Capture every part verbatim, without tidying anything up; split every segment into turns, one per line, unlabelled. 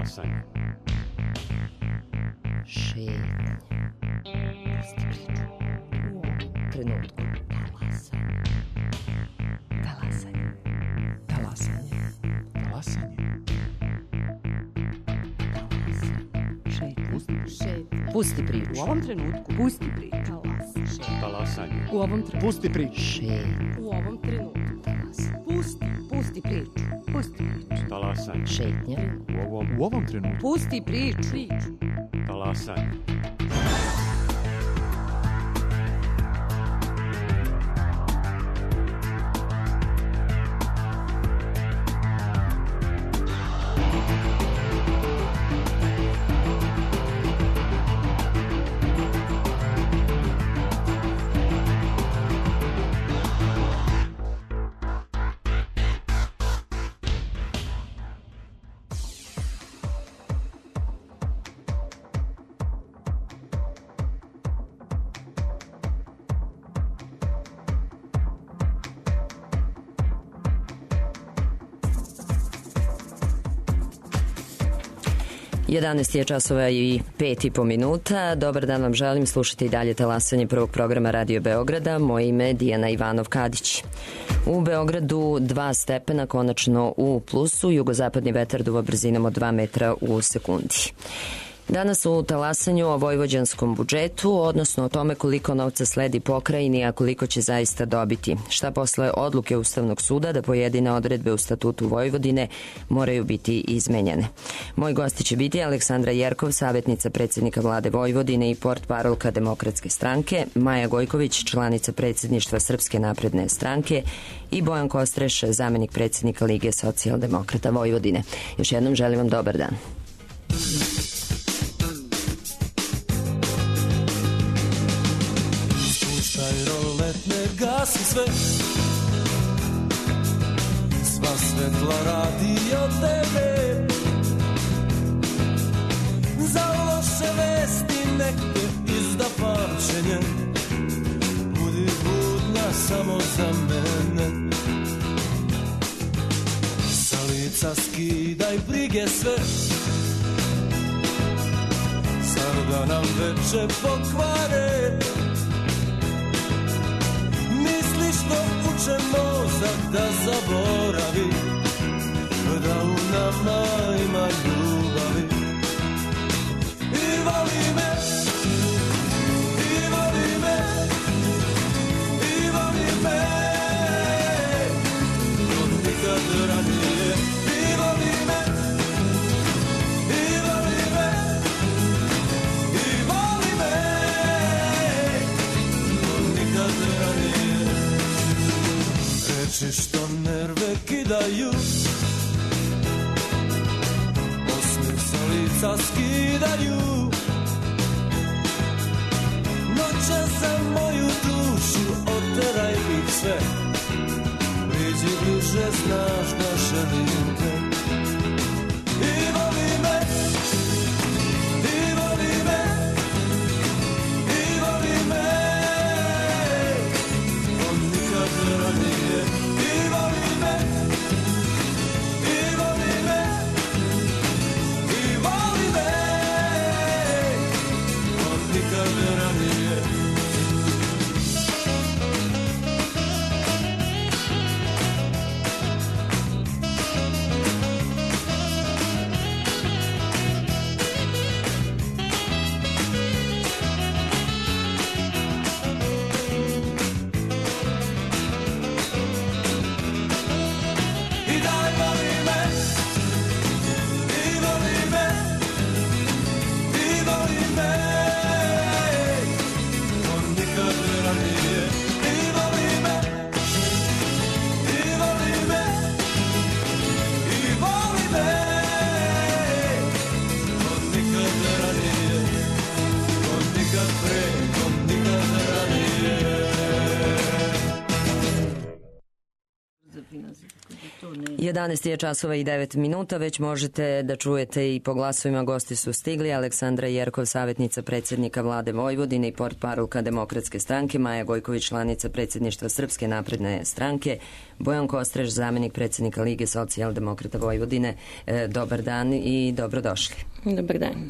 Talasanje.
Šetnja. Pusti priču. U ovom trenutku. Talasanje. Talasanje.
Talasanje. Talasanje.
Šetnja. Pusti priču.
U ovom trenutku. Pusti priču.
Talasanje.
U ovom trenutku.
Pusti priču.
Šetnja.
U ovom trenutku.
Talasanje.
Pusti. Pusti priču. Pusti priču.
Talasanje.
Šetnja.
U ovom,
U ovom trenutku.
Pusti priču. Priču.
talasanje.
jedanaest je časova i pet i po minuta. Dobar dan vam želim, slušati i dalje talasanje prvog programa Radio Beograda. Moje ime je Dijana Ivanov-Kadić. U Beogradu dva stepena, konačno u plusu, jugozapadni vetar duva brzinom od dva metra u sekundi. Danas u talasanju o vojvođanskom budžetu, odnosno o tome koliko novca sledi pokrajini, a koliko će zaista dobiti. Šta posle odluke Ustavnog suda da pojedine odredbe u statutu Vojvodine moraju biti izmenjene. Moji gosti će biti Aleksandra Jerkov, savjetnica predsjednika vlade Vojvodine i portparolka Demokratske stranke, Maja Gojković, članica predsjedništva Srpske napredne stranke i Bojan Kostreš, zamenik predsjednika Lige socijaldemokrata Vojvodine. Još jednom želim vam dobar dan.
Gasi sve, sva svetla radi od tebe. Za loše vesti neke izda pamćenje, budi budna samo za mene. Sa lica skidaj brige sve, zar da nam veče pokvare. Što uče mozak da zaboravi, da u nama ima ljubavi. I voli me, i voli me, i voli me, od nikad ranije. I voli me, i voli me, i voli me, od nikad ranije. Reči što nerve kidaju, osmeh sa lica skidaju. Noće za moju dušu oteraj ih sve, priđi bliže, znaš da želim te. I voli me, i voli me, i voli me, on nikad ranije.
jedanaest je časova i devet minuta, već možete da čujete i po glasovima. Gosti su stigli: Aleksandra Jerkov, savjetnica predsjednika vlade Vojvodine i portparolka Demokratske stranke, Maja Gojković, članica predsjedništva Srpske napredne stranke, Bojan Kostreš, zamenik predsjednika Lige socijaldemokrata Vojvodine. E, dobar dan i dobrodošli.
Dobar dan.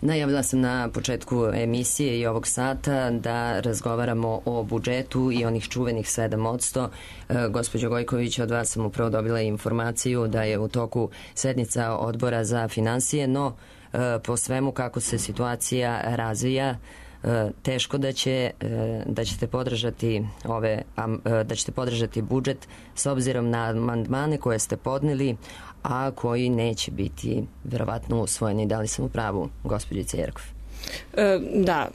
Najavila sam na početku emisije i ovog sata da razgovaramo o budžetu i onih čuvenih sedam posto. E, gospođo Gojković, od vas sam upravo dobila informaciju da je u toku sednica odbora za finansije, no e, po svemu kako se situacija razvija, e, teško da će e, da ćete podržati ove e, da ćete podržati budžet s obzirom na amandmane koje ste podneli, a koji neće biti verovatno usvojeni. Da li sam u pravu, gospođice Jerkov?
E, da,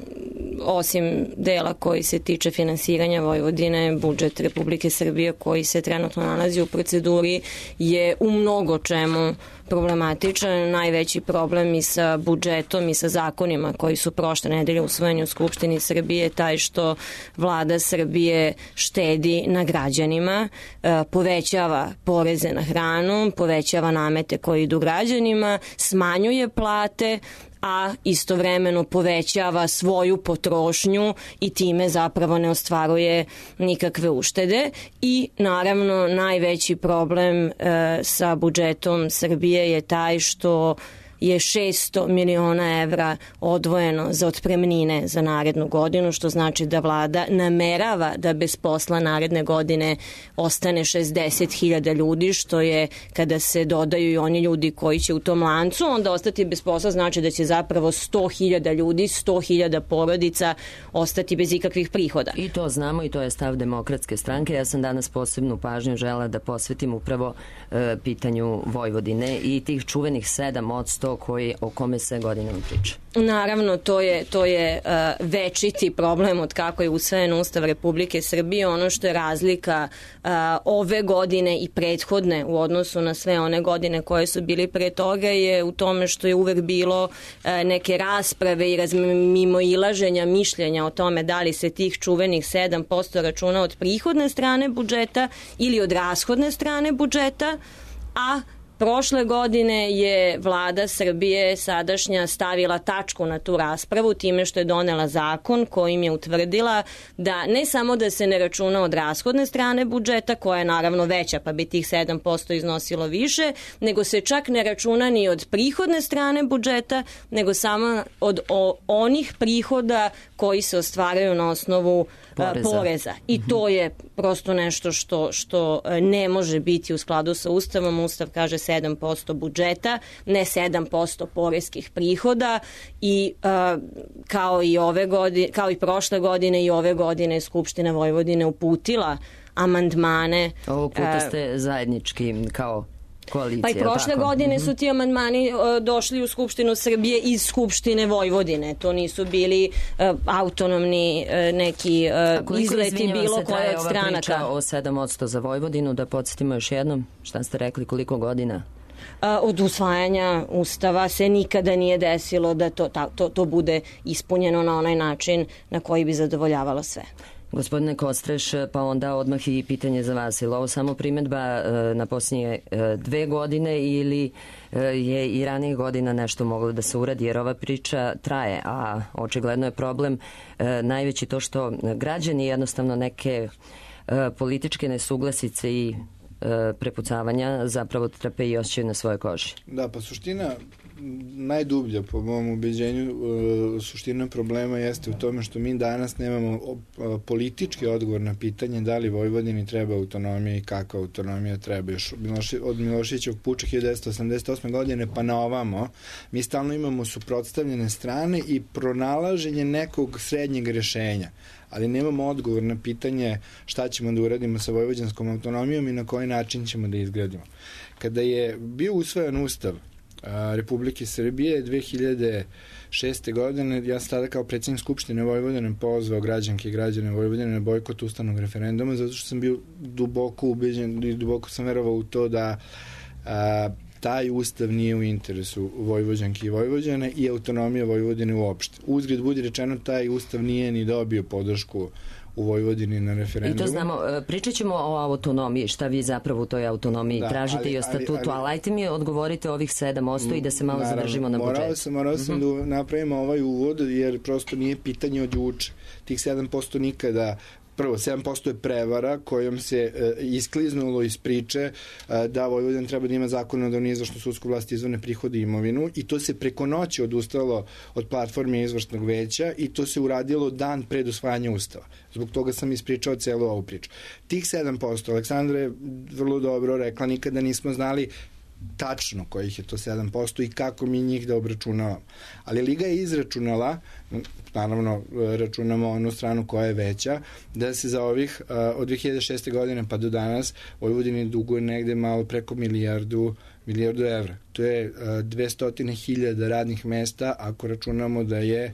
osim dela koji se tiče finansiranja Vojvodine, budžet Republike Srbije koji se trenutno nalazi u proceduri je u mnogo čemu problematičan. Najveći problem i sa budžetom i sa zakonima koji su prošle nedelje usvojeni u Skupštini Srbije je taj što vlada Srbije štedi na građanima, povećava poreze na hranu, povećava namete koji idu građanima, smanjuje plate, a istovremeno povećava svoju potrošnju i time zapravo ne ostvaruje nikakve uštede. I naravno najveći problem e, sa budžetom Srbije je taj što je šesto miliona evra odvojeno za otpremnine za narednu godinu, što znači da vlada namerava da bez posla naredne godine ostane šezdeset hiljada ljudi, što je, kada se dodaju i oni ljudi koji će u tom lancu onda ostati bez posla, znači da će zapravo sto hiljada ljudi, sto hiljada porodica ostati bez ikakvih prihoda.
I to znamo i to je stav Demokratske stranke. Ja sam danas posebnu pažnju žela da posvetim upravo e, pitanju Vojvodine i tih čuvenih sedam posto koji, o kome se godinama priča.
Naravno, to je, to je uh, večiti problem od kako je usvojen Ustav Republike Srbije. Ono što je razlika uh, ove godine i prethodne u odnosu na sve one godine koje su bili pre toga je u tome što je uvek bilo uh, neke rasprave i mimoilaženja mišljenja o tome da li se tih čuvenih sedam posto računa od prihodne strane budžeta ili od rashodne strane budžeta, a prošle godine je vlada Srbije sadašnja stavila tačku na tu raspravu time što je donela zakon kojim je utvrdila da ne samo da se ne računa od rashodne strane budžeta, koja je naravno veća pa bi tih sedam posto iznosilo više, nego se čak ne računa ni od prihodne strane budžeta, nego samo od o, onih prihoda koji se ostvaraju na osnovu poreza. poreza. I to je prosto nešto što, što ne može biti u skladu sa Ustavom. Ustav kaže sedam posto budžeta, ne sedam posto poreskih prihoda i uh, kao i ove godine, kao i prošle godine i ove godine Skupština Vojvodine uputila amandmane.
Ovog puta ste zajednički kao koalicija.
Pa i prošle tako? godine su ti amandmani uh, došli u Skupštinu Srbije iz Skupštine Vojvodine. To nisu bili uh, autonomni uh, neki uh, izleti bilo koje od stranaka.
Priča o sedam posto za Vojvodinu, da podsjetimo još jednom, šta ste rekli, koliko godina?
Od usvajanja Ustava se nikada nije desilo da to, to, to bude ispunjeno na onaj način na koji bi zadovoljavalo sve.
Gospodine Kostreš, pa onda odmah i pitanje za vas. Je li ovo samo primedba na posljednje dve godine ili je i ranije godina nešto moglo da se uradi, jer ova priča traje, a očigledno je problem najveći to što građani jednostavno neke političke nesuglasice i prepucavanja zapravo trpe i osjećaju na svojoj koži.
Da, pa suština najdublja po mom ubeđenju suština problema jeste u tome što mi danas nemamo politički odgovor na pitanje da li Vojvodini treba autonomija i kakva autonomija treba. Još od Miloševićevog puča hiljadu devetsto osamdeset osme godine pa na ovamo mi stalno imamo suprotstavljene strane i pronalaženje nekog srednjeg rešenja, ali nemamo odgovor na pitanje šta ćemo da uradimo sa vojvođanskom autonomijom i na koji način ćemo da izgradimo. Kada je bio usvojen Ustav Republike Srbije dve hiljade šeste. godine, ja sam tada kao predsjednik Skupštine Vojvodine pozvao građanke i građane Vojvodine na bojkot ustavnog referenduma, zato što sam bio duboko ubeđen i duboko sam verovao u to da a, taj ustav nije u interesu Vojvođanke i Vojvođane i autonomija Vojvodine uopšte. Uzgred budi rečeno, taj ustav nije ni dobio podršku u Vojvodini na referendumu.
I to znamo, pričat ćemo o autonomiji, šta vi zapravo u toj autonomiji da, tražite ali, i o statutu, ali, ali, ali ajte mi odgovorite ovih sedam posto i da se malo naravno, zadržimo na budžetu.
Morao sam, morao sam mm-hmm. da napravimo ovaj uvod, jer prosto nije pitanje od juče. Tih sedam posto nikada. Prvo, sedam posto je prevara kojom se e, iskliznulo iz priče e, da Vojvodina treba da ima zakonodavnu izvršnu sudsku vlast, izvorne prihode i imovinu, i to se preko noći odustalo od platforme izvršnog veća i to se uradilo dan pred usvajanja Ustava. Zbog toga sam ispričao celu ovu priču. Tih sedam posto, Aleksandra je vrlo dobro rekla, nikada nismo znali tačno kojih je to sedam posto i kako mi njih da obračunavamo. Ali Liga je izračunala, naravno računamo onu stranu koja je veća, da se za ovih od dve hiljade šeste godine pa do danas Vojvodini duguje negde malo preko milijardu milijardu evra. To je dvesta hiljada radnih mesta ako računamo da je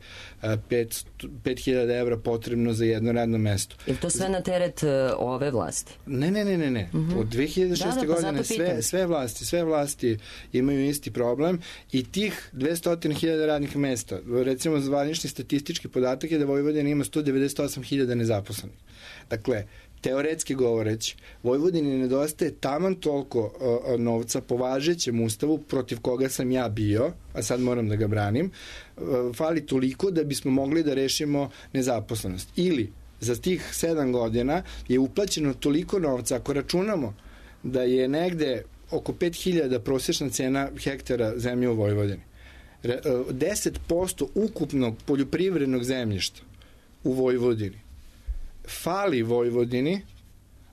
pet hiljada evra potrebno za jedno radno mesto.
Je to sve na teret ove vlasti?
Ne, ne, ne, ne. ne. Mm-hmm. Od dve hiljade šeste da, da, godine sve, sve vlasti, sve vlasti imaju isti problem i tih dvesta hiljada radnih mesta, recimo zvanični statistički podatak je da Vojvodina ima sto devedeset osam hiljada nezaposlenih. Dakle, teoretski govoreći, Vojvodini nedostaje taman toliko uh, novca po važećem ustavu protiv koga sam ja bio, a sad moram da ga branim, uh, fali toliko da bismo mogli da rešimo nezaposlenost. Ili za tih sedam godina je uplaćeno toliko novca, ako računamo da je negde oko pet hiljada prosječna cena hektara zemlje u Vojvodini. deset posto ukupnog poljoprivrednog zemljišta u Vojvodini fali Vojvodini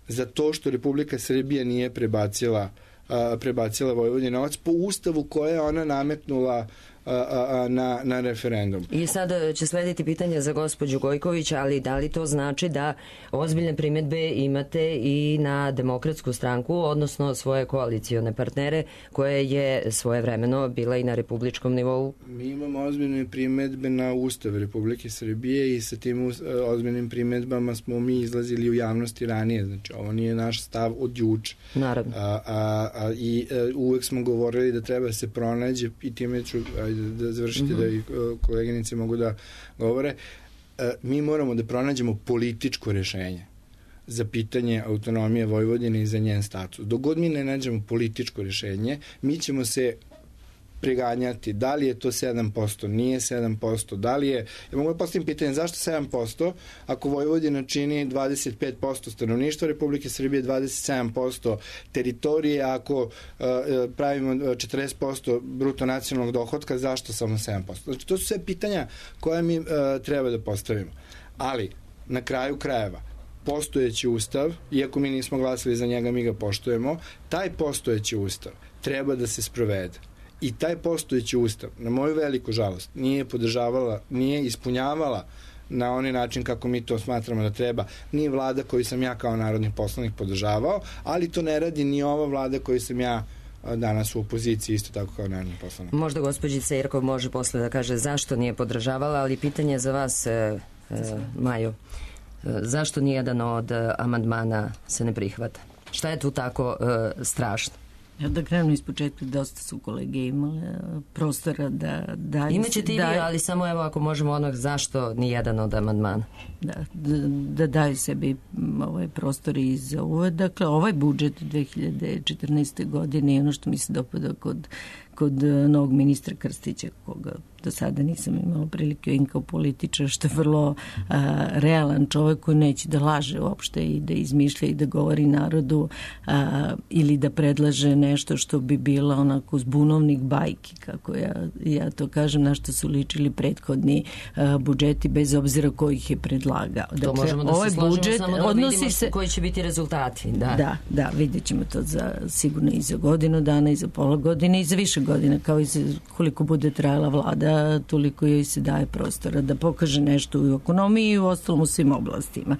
za to što Republika Srbija nije prebacila, a, prebacila Vojvodini novac po ustavu koje je ona nametnula a, a, na, na referendum.
I sada će slediti pitanja za gospođu Gojković, ali da li to znači da ozbiljne primedbe imate i na Demokratsku stranku, odnosno svoje koalicione partnere, koje je svojevremeno bila i na republičkom nivou?
Mi imamo ozbiljne primedbe na Ustav Republike Srbije i sa tim ozbiljnim primedbama smo mi izlazili u javnosti ranije. Znači, ovo nije naš stav od juče.
Naravno.
A, a, a, I a, uvek smo govorili da treba se pronađe, i time ću ajde, da završite mm-hmm. da i koleginice mogu da govore, a, mi moramo da pronađemo političko rešenje za pitanje autonomije Vojvodine i za njen status. Dok god mi ne nađemo političko rešenje, mi ćemo se preganjati da li je to sedam posto, nije sedam posto, da li je, ja mogu da postavim pitanje zašto sedam posto ako Vojvodina čini dvadeset pet posto stanovništva Republike Srbije, dvadeset sedam posto teritorije, ako uh, pravimo četrdeset posto bruto nacionalnog dohotka, zašto samo sedam posto? Znači, to su sve pitanja koja mi uh, treba da postavimo. Ali, na kraju krajeva, postojeći ustav, iako mi nismo glasili za njega, mi ga poštujemo, taj postojeći ustav treba da se sprovede. I taj postojeći ustav, na moju veliku žalost, nije podržavala, nije ispunjavala na onaj način kako mi to smatramo da treba. Nije vlada koju sam ja kao narodni poslanik podržavao, ali to ne radi ni ova vlada koju sam ja danas u opoziciji isto tako kao narodni poslanik.
Možda gospođica Jerkov može posle da kaže zašto nije podržavala, ali pitanje za vas, e, e, Maju, e, zašto nijedan od amandmana se ne prihvata? Šta je tu tako e, strašno?
Ja da krenem iz početka, dosta su kolege imale prostora da daju...
Imaćete i vi, ali samo evo ako možemo onog zašto ni jedan od amandmana.
Da, da, da daju sebi ovaj prostor i za uvod. Dakle, ovaj budžet dve hiljade četrnaeste. godine je ono što mi se dopada kod, kod novog ministra Krstića, koga do sada nisam imala prilike in kao političar, što je vrlo a, realan čovjek koji neće da laže uopšte i da izmišlja i da govori narodu a, ili da predlaže nešto što bi bila onako zbunovnik bajki, kako ja, ja to kažem, na što su ličili prethodni a, budžeti, bez obzira ko ih je predlagao.
Dakle, to možemo da ovaj se složimo, budžet samo da vidimo se, koji će biti rezultati. Da,
da, da vidjet ćemo to za, sigurno i za godinu dana, i za pola godine, i za više godina, kao i za koliko bude trajala vlada, toliko joj se daje prostora da pokaže nešto u ekonomiji i u ostalom u svim oblastima.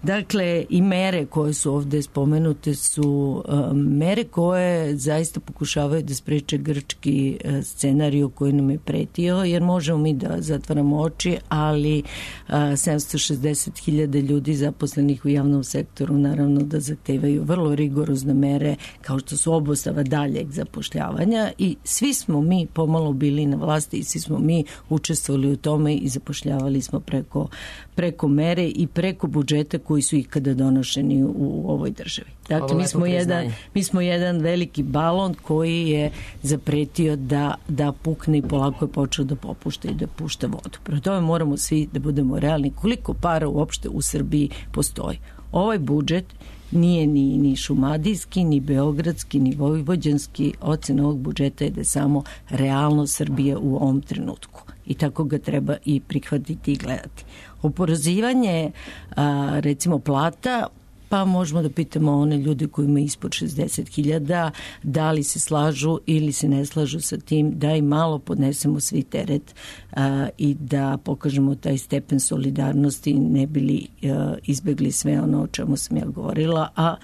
Dakle, i mere koje su ovde spomenute su um, mere koje zaista pokušavaju da spreče grčki uh, scenariju koji nam je pretio, jer možemo mi da zatvaramo oči, ali uh, sedamsto šezdeset hiljada ljudi zaposlenih u javnom sektoru naravno da zahtevaju vrlo rigorozne mere, kao što su obustava daljeg zapošljavanja, i svi smo mi pomalo bili na vlasti i svi smo mi učestvovali u tome i zapošljavali smo preko preko mere i preko budžeta koji su ikada donošeni u ovoj državi. Dakle, mi smo, jedan, mi smo jedan veliki balon koji je zapretio da, da pukne i polako je počeo da popušta i da pušta vodu. Prema tome moramo svi da budemo realni koliko para uopšte u Srbiji postoji. Ovaj budžet nije ni, ni šumadijski, ni beogradski, ni vojvođanski. Ocena ovog budžeta je da je samo realno Srbije u ovom trenutku. I tako ga treba i prihvatiti i gledati. Oporezivanje, a, recimo, plata, pa možemo da pitamo one ljude koji imaju ispod šezdeset hiljada da li se slažu ili se ne slažu sa tim da i malo podnesemo svi teret a, i da pokažemo taj stepen solidarnosti, ne bili a, izbegli sve ono o čemu sam ja govorila, a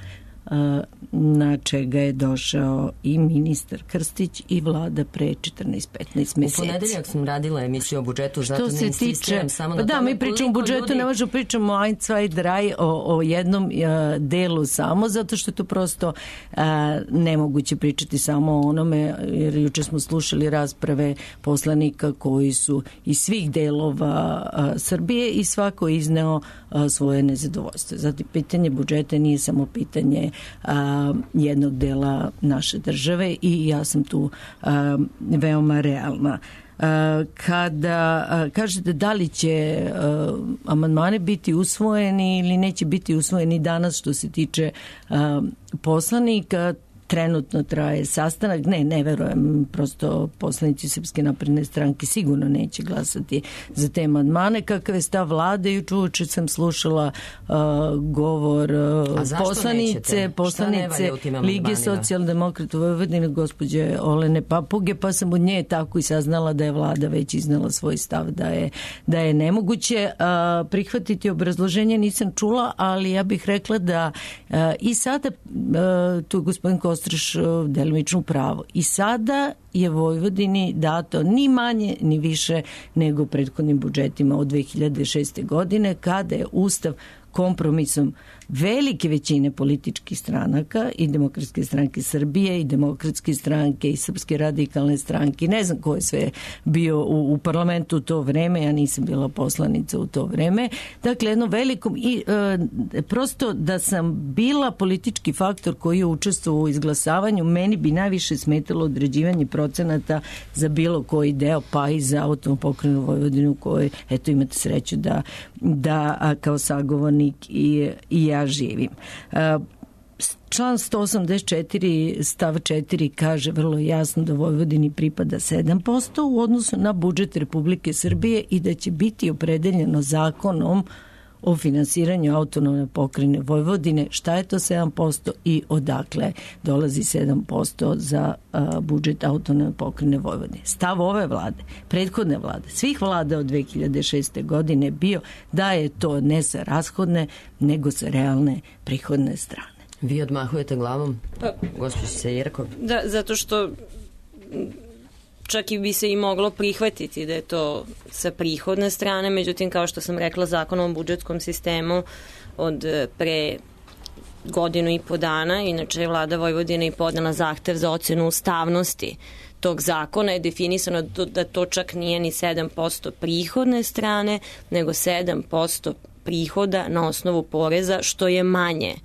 na čega je došao i ministar Krstić i vlada pre četrnaest petnaest meseci.
U ponedeljak sam radila emisiju o budžetu, zato ne insistiram samo na
pa da,
tome.
Mi pričamo o budžetu, ljudi... ne možemo pričamo ein, zwei, drei o, o jednom a, delu samo, zato što je to prosto a, nemoguće pričati samo o onome, jer juče smo slušali rasprave poslanika koji su iz svih delova a, Srbije i svako izneo a, svoje nezadovoljstvo. Zato pitanje budžeta nije samo pitanje A, jednog dela naše države i ja sam tu a, veoma realna. A, kada a, kažete da li će a, amandmani biti usvojeni ili neće biti usvojeni danas što se tiče a, poslanika, trenutno traje sastanak. Ne, ne verujem, prosto poslanici Srpske napredne stranke sigurno neće glasati za te amandmane. Kakav je stav vlade? Juče uče sam slušala uh, govor uh, poslanice, poslanice Lige socijaldemokrata Vojvodine, gospođe Olene Papuge, pa sam od nje tako i saznala da je vlada već iznala svoj stav da je, da je nemoguće uh, prihvatiti obrazloženje. Nisam čula, ali ja bih rekla da uh, i sada uh, tu je gospodin Kostić delimično pravo. I sada je Vojvodini dato ni manje ni više nego prethodnim budžetima od dve hiljade šeste. godine kada je Ustav kompromisom velike većine političkih stranaka i Demokratske stranke Srbije i Demokratske stranke i Srpske radikalne stranke, ne znam ko je sve bio u, u parlamentu u to vreme, ja nisam bila poslanica u to vreme, dakle jedno velikom i e, prosto da sam bila politički faktor koji je učestvovao u izglasavanju, meni bi najviše smetalo određivanje procenata za bilo koji deo, pa i za autonomnu pokrajinu Vojvodinu koji, eto, imate sreću da, da a, kao sagovornik i, i ja živim. Član sto osamdeset četiri stav četiri kaže vrlo jasno da Vojvodini pripada sedam posto u odnosu na budžet Republike Srbije i da će biti opredeljeno zakonom o finansiranju autonomne pokrajine Vojvodine. Šta je to sedam posto i odakle dolazi sedam posto za a, budžet autonomne pokrajine Vojvodine? Stav ove vlade, prethodne vlade, svih vlada od dve hiljade šeste. godine bio da je to ne sa rashodne, nego sa realne prihodne strane.
Vi odmahujete glavom, pa, gospođica Jerkov?
Da, zato što čak i bi se i moglo prihvatiti da je to sa prihodne strane, međutim, kao što sam rekla, zakonom o budžetskom sistemu od pre godinu i po dana, inače je vlada Vojvodine i podnela zahtev za ocenu ustavnosti tog zakona, je definisano da to čak nije ni sedam posto prihodne strane, nego sedam posto prihoda na osnovu poreza, što je manje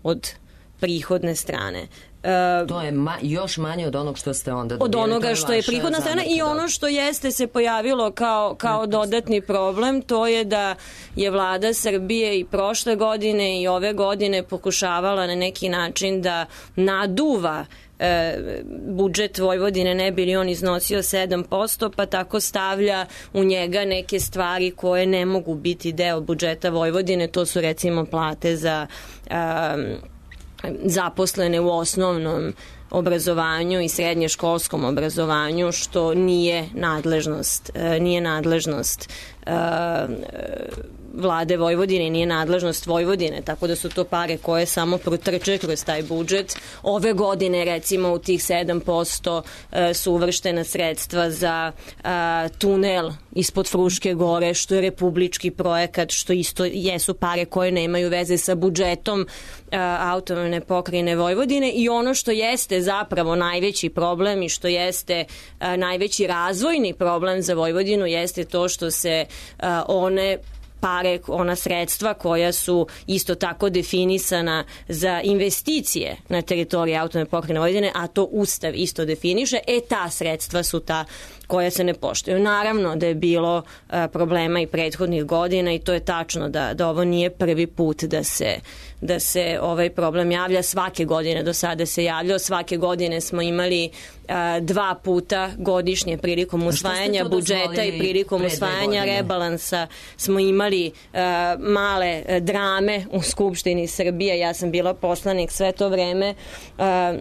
od prihodne strane.
Uh, to je ma, još manje od onog što ste onda dobili.
Od onoga što je prihodna strana i ono što jeste se pojavilo kao, kao dodatni problem, to je da je vlada Srbije i prošle godine i ove godine pokušavala na neki način da naduva e, budžet Vojvodine, ne bi li on iznosio sedam posto, pa tako stavlja u njega neke stvari koje ne mogu biti deo budžeta Vojvodine, to su recimo plate za e, zaposlene u osnovnom obrazovanju i srednješkolskom obrazovanju, što nije nadležnost, nije nadležnost vlade Vojvodine, nije nadležnost Vojvodine, tako da su to pare koje samo protrče kroz taj budžet. Ove godine, recimo, u tih sedam posto su uvrštena sredstva za tunel ispod Fruške gore, što je republički projekat, što isto jesu pare koje nemaju veze sa budžetom autonomne pokrajine Vojvodine. I ono što jeste zapravo najveći problem i što jeste najveći razvojni problem za Vojvodinu jeste to što se one pare, ona sredstva koja su isto tako definisana za investicije na teritoriji autonomne pokrajine Vojvodine, a to Ustav isto definiše, e ta sredstva su ta koja se ne poštuju. Naravno da je bilo a, problema i prethodnih godina i to je tačno da, da ovo nije prvi put da se, da se ovaj problem javlja. Svake godine do sada se javljao, svake godine smo imali a, dva puta godišnje prilikom usvajanja budžeta i prilikom usvajanja rebalansa smo imali a, male a, drame u Skupštini Srbije. Ja sam bila poslanik sve to vreme a,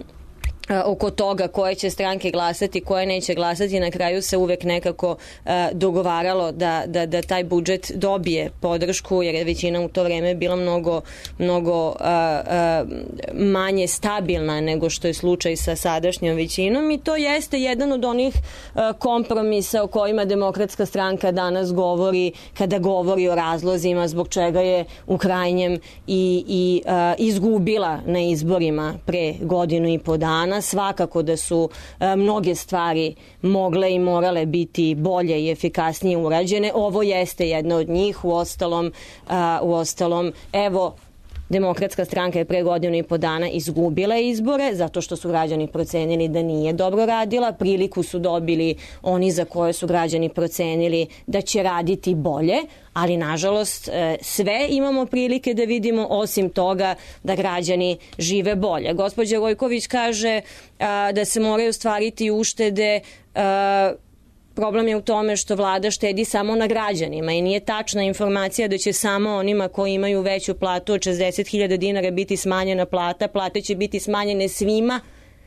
oko toga koje će stranke glasati, koje neće glasati. Na kraju se uvek nekako uh, dogovaralo da, da, da taj budžet dobije podršku, jer je većina u to vreme bila mnogo, mnogo uh, uh, manje stabilna nego što je slučaj sa sadašnjom većinom i to jeste jedan od onih uh, kompromisa o kojima Demokratska stranka danas govori kada govori o razlozima zbog čega je u krajnjem i, i uh, izgubila na izborima pre godinu i po dana. Svakako da su a, mnoge stvari mogle i morale biti bolje i efikasnije urađene. Ovo jeste jedna od njih. U ostalom, a, u ostalom evo, Demokratska stranka je pre godinu i po dana izgubila izbore zato što su građani procenili da nije dobro radila. Priliku su dobili oni za koje su građani procenili da će raditi bolje, ali nažalost sve imamo prilike da vidimo osim toga da građani žive bolje. Gospođa Gojković kaže a, da se moraju stvariti uštede. A, Problem je u tome što vlada štedi samo na građanima i nije tačna informacija da će samo onima koji imaju veću platu od šezdeset hiljada dinara biti smanjena plata. Plate će biti smanjene svima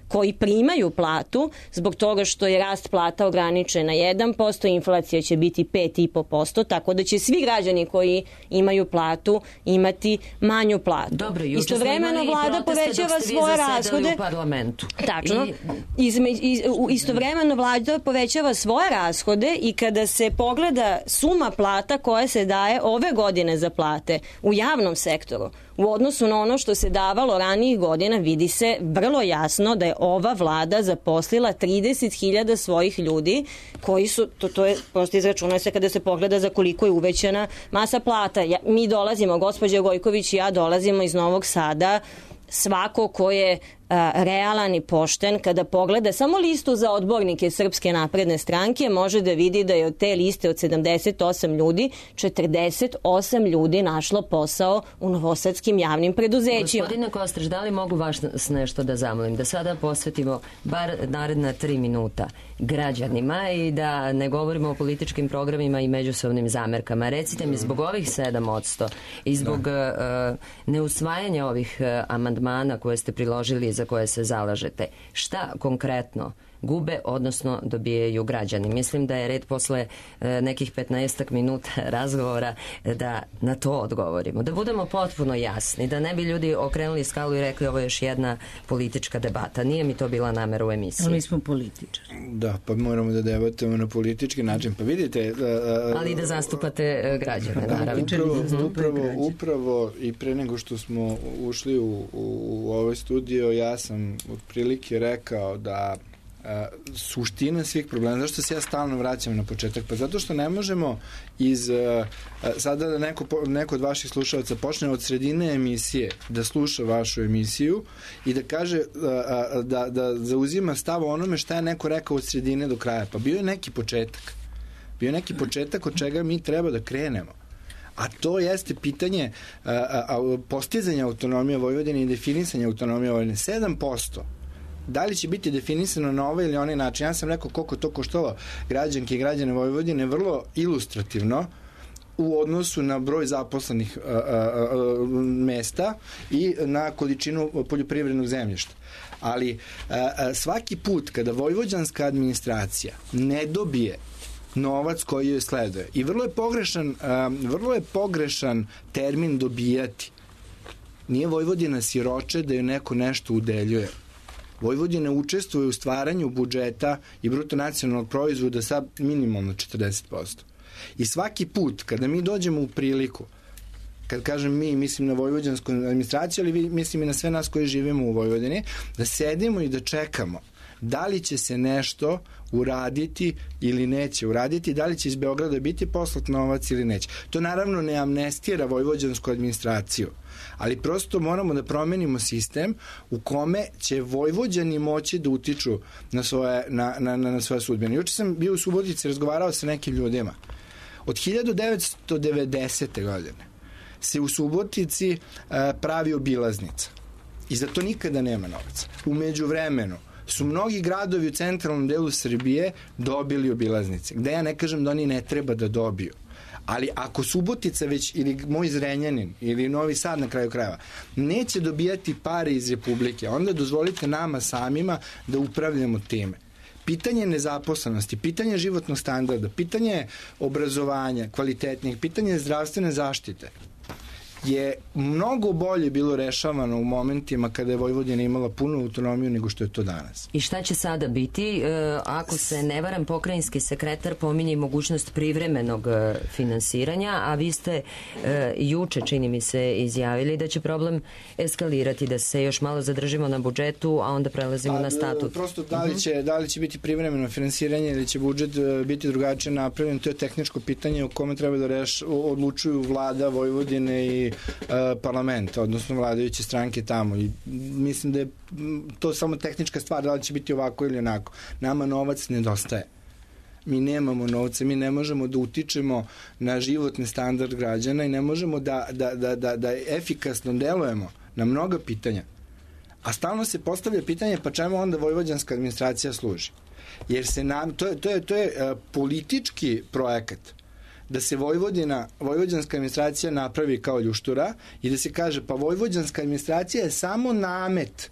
koji primaju platu zbog toga što je rast plata ograničen na jedan posto, inflacija će biti pet zarez pet posto, tako da će svi građani koji imaju platu imati manju platu.
Dobro, juče
istovremeno vlada povećava svoje rashode.
U parlamentu.
Tačno. I... Izme, iz, istovremeno vlada povećava svoje rashode i kada se pogleda suma plata koja se daje ove godine za plate u javnom sektoru, u odnosu na ono što se davalo ranijih godina, vidi se vrlo jasno da je ova vlada zaposlila trideset hiljada svojih ljudi koji su, to, to je prosto izračunuje se kada se pogleda za koliko je uvećana masa plata. Ja, mi dolazimo, gospođa Gojković i ja dolazimo iz Novog Sada, svako ko je a, realan i pošten, kada pogleda samo listu za odbornike Srpske napredne stranke, može da vidi da je od te liste od sedamdeset osam ljudi, četrdeset osam ljudi našlo posao u novosadskim javnim preduzećima.
Gospodine Kostreš, da li mogu vas nešto da zamolim? Da sada posvetimo bar naredna tri minuta građanima i da ne govorimo o političkim programima i međusobnim zamerkama. Recite mi, zbog ovih sedam odsto i zbog uh, neusvajanja ovih uh, amandmana koje ste priložili za koje se zalažete, šta konkretno gube, odnosno dobijaju građani? Mislim da je red posle e, nekih petnaestak minuta razgovora da na to odgovorimo. Da budemo potpuno jasni, da ne bi ljudi okrenuli skalu i rekli ovo je još jedna politička debata. Nije mi to bila namera u emisiji.
Ali mi smo političari.
Da, pa moramo da debatujemo na politički način. Pa vidite... Uh,
Ali da zastupate građane, naravno.
Upravo, upravo, upravo i pre nego što smo ušli u, u, u ovaj studio, ja sam otprilike rekao da Uh, suština svih problema. Zašto se ja stalno vraćam na početak? Pa zato što ne možemo iz uh, uh, sada da neko, neko od vaših slušalaca počne od sredine emisije da sluša vašu emisiju i da kaže uh, uh, da, da zauzima stav o onome šta je neko rekao od sredine do kraja. Pa bio je neki početak. Bio je neki početak od čega mi treba da krenemo. A to jeste pitanje uh, uh, postizanja autonomije Vojvodine i definisanja autonomije Vojvodine. sedam posto. Da li će biti definisano na ovaj ili onaj način? Ja sam rekao koliko to koštalo građanke i građane Vojvodine vrlo ilustrativno u odnosu na broj zaposlenih a, a, a, mesta i na količinu poljoprivrednog zemljišta. Ali a, a, svaki put kada vojvođanska administracija ne dobije novac koji joj sleduje, i vrlo je pogrešan, a, vrlo je pogrešan termin dobijati. Nije Vojvodina siroče da joj neko nešto udeljuje. Vojvodina učestvuje u stvaranju budžeta i bruto nacionalnog proizvoda sa minimalno četrdeset posto. I svaki put kada mi dođemo u priliku, kad kažem mi, mislim na vojvođansku administraciju, ali mislim i na sve nas koji živimo u Vojvodini, da sedimo i da čekamo da li će se nešto uraditi ili neće uraditi, da li će iz Beograda biti poslat novac ili neće. To naravno ne amnestira vojvođansku administraciju, ali prosto moramo da promenimo sistem u kome će Vojvođani moći da utiču na svoje, na, na, na svoje sudbine. Juče sam bio u Subotici, razgovarao sa nekim ljudima. Od hiljadu devetsto devedesete. godine se u Subotici uh, pravi obilaznica i za to nikada nema novaca. U međuvremenu su mnogi gradovi u centralnom delu Srbije dobili obilaznice, gde ja ne kažem da oni ne treba da dobiju. Ali ako Subotica već, ili moj Zrenjanin, ili Novi Sad na kraju krajeva, neće dobijati pare iz Republike, onda dozvolite nama samima da upravljamo time. Pitanje nezaposlenosti, pitanje životnog standarda, pitanje obrazovanja, kvalitetnijeg, pitanje zdravstvene zaštite je mnogo bolje bilo rešavano u momentima kada je Vojvodina imala punu autonomiju nego što je to danas.
I šta će sada biti? E, ako se ne varam, pokrajinski sekretar pominje mogućnost privremenog e, finansiranja, a vi ste e, juče, čini mi se, izjavili da će problem eskalirati, da se još malo zadržimo na budžetu, a onda prelazimo pa, na statut.
Prosto da li, će, da li će biti privremeno finansiranje ili će budžet biti drugačije napravljen, to je tehničko pitanje o kome treba da reš, odlučuju vlada Vojvodine i parlament, odnosno vladajuće stranke tamo, i mislim da je to samo tehnička stvar, da li će biti ovako ili onako. Nama novac nedostaje. Mi nemamo novca, mi ne možemo da utičemo na životni standard građana i ne možemo da, da, da, da, da efikasno delujemo na mnoga pitanja. A stalno se postavlja pitanje pa čemu onda vojvođanska administracija služi? Jer se nam, to je, to je, to je uh, politički projekat da se Vojvodina, vojvođanska administracija napravi kao ljuštura i da se kaže pa vojvođanska administracija je samo namet.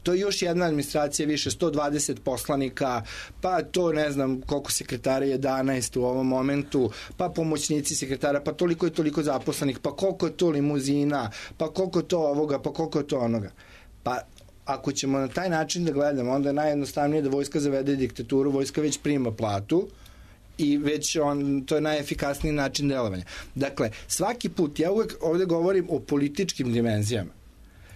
To je još jedna administracija više, sto dvadeset poslanika, pa to ne znam koliko sekretara, jedanaest u ovom momentu, pa pomoćnici sekretara, pa toliko i toliko zaposlenih, pa koliko je to limuzina, pa koliko je to ovoga, pa koliko je to onoga. Pa ako ćemo na taj način da gledamo, onda je najjednostavnije da vojska zavede diktaturu, vojska već prima platu, i već on, to je najefikasniji način delovanja. Dakle, svaki put, ja uvek ovde govorim o političkim dimenzijama,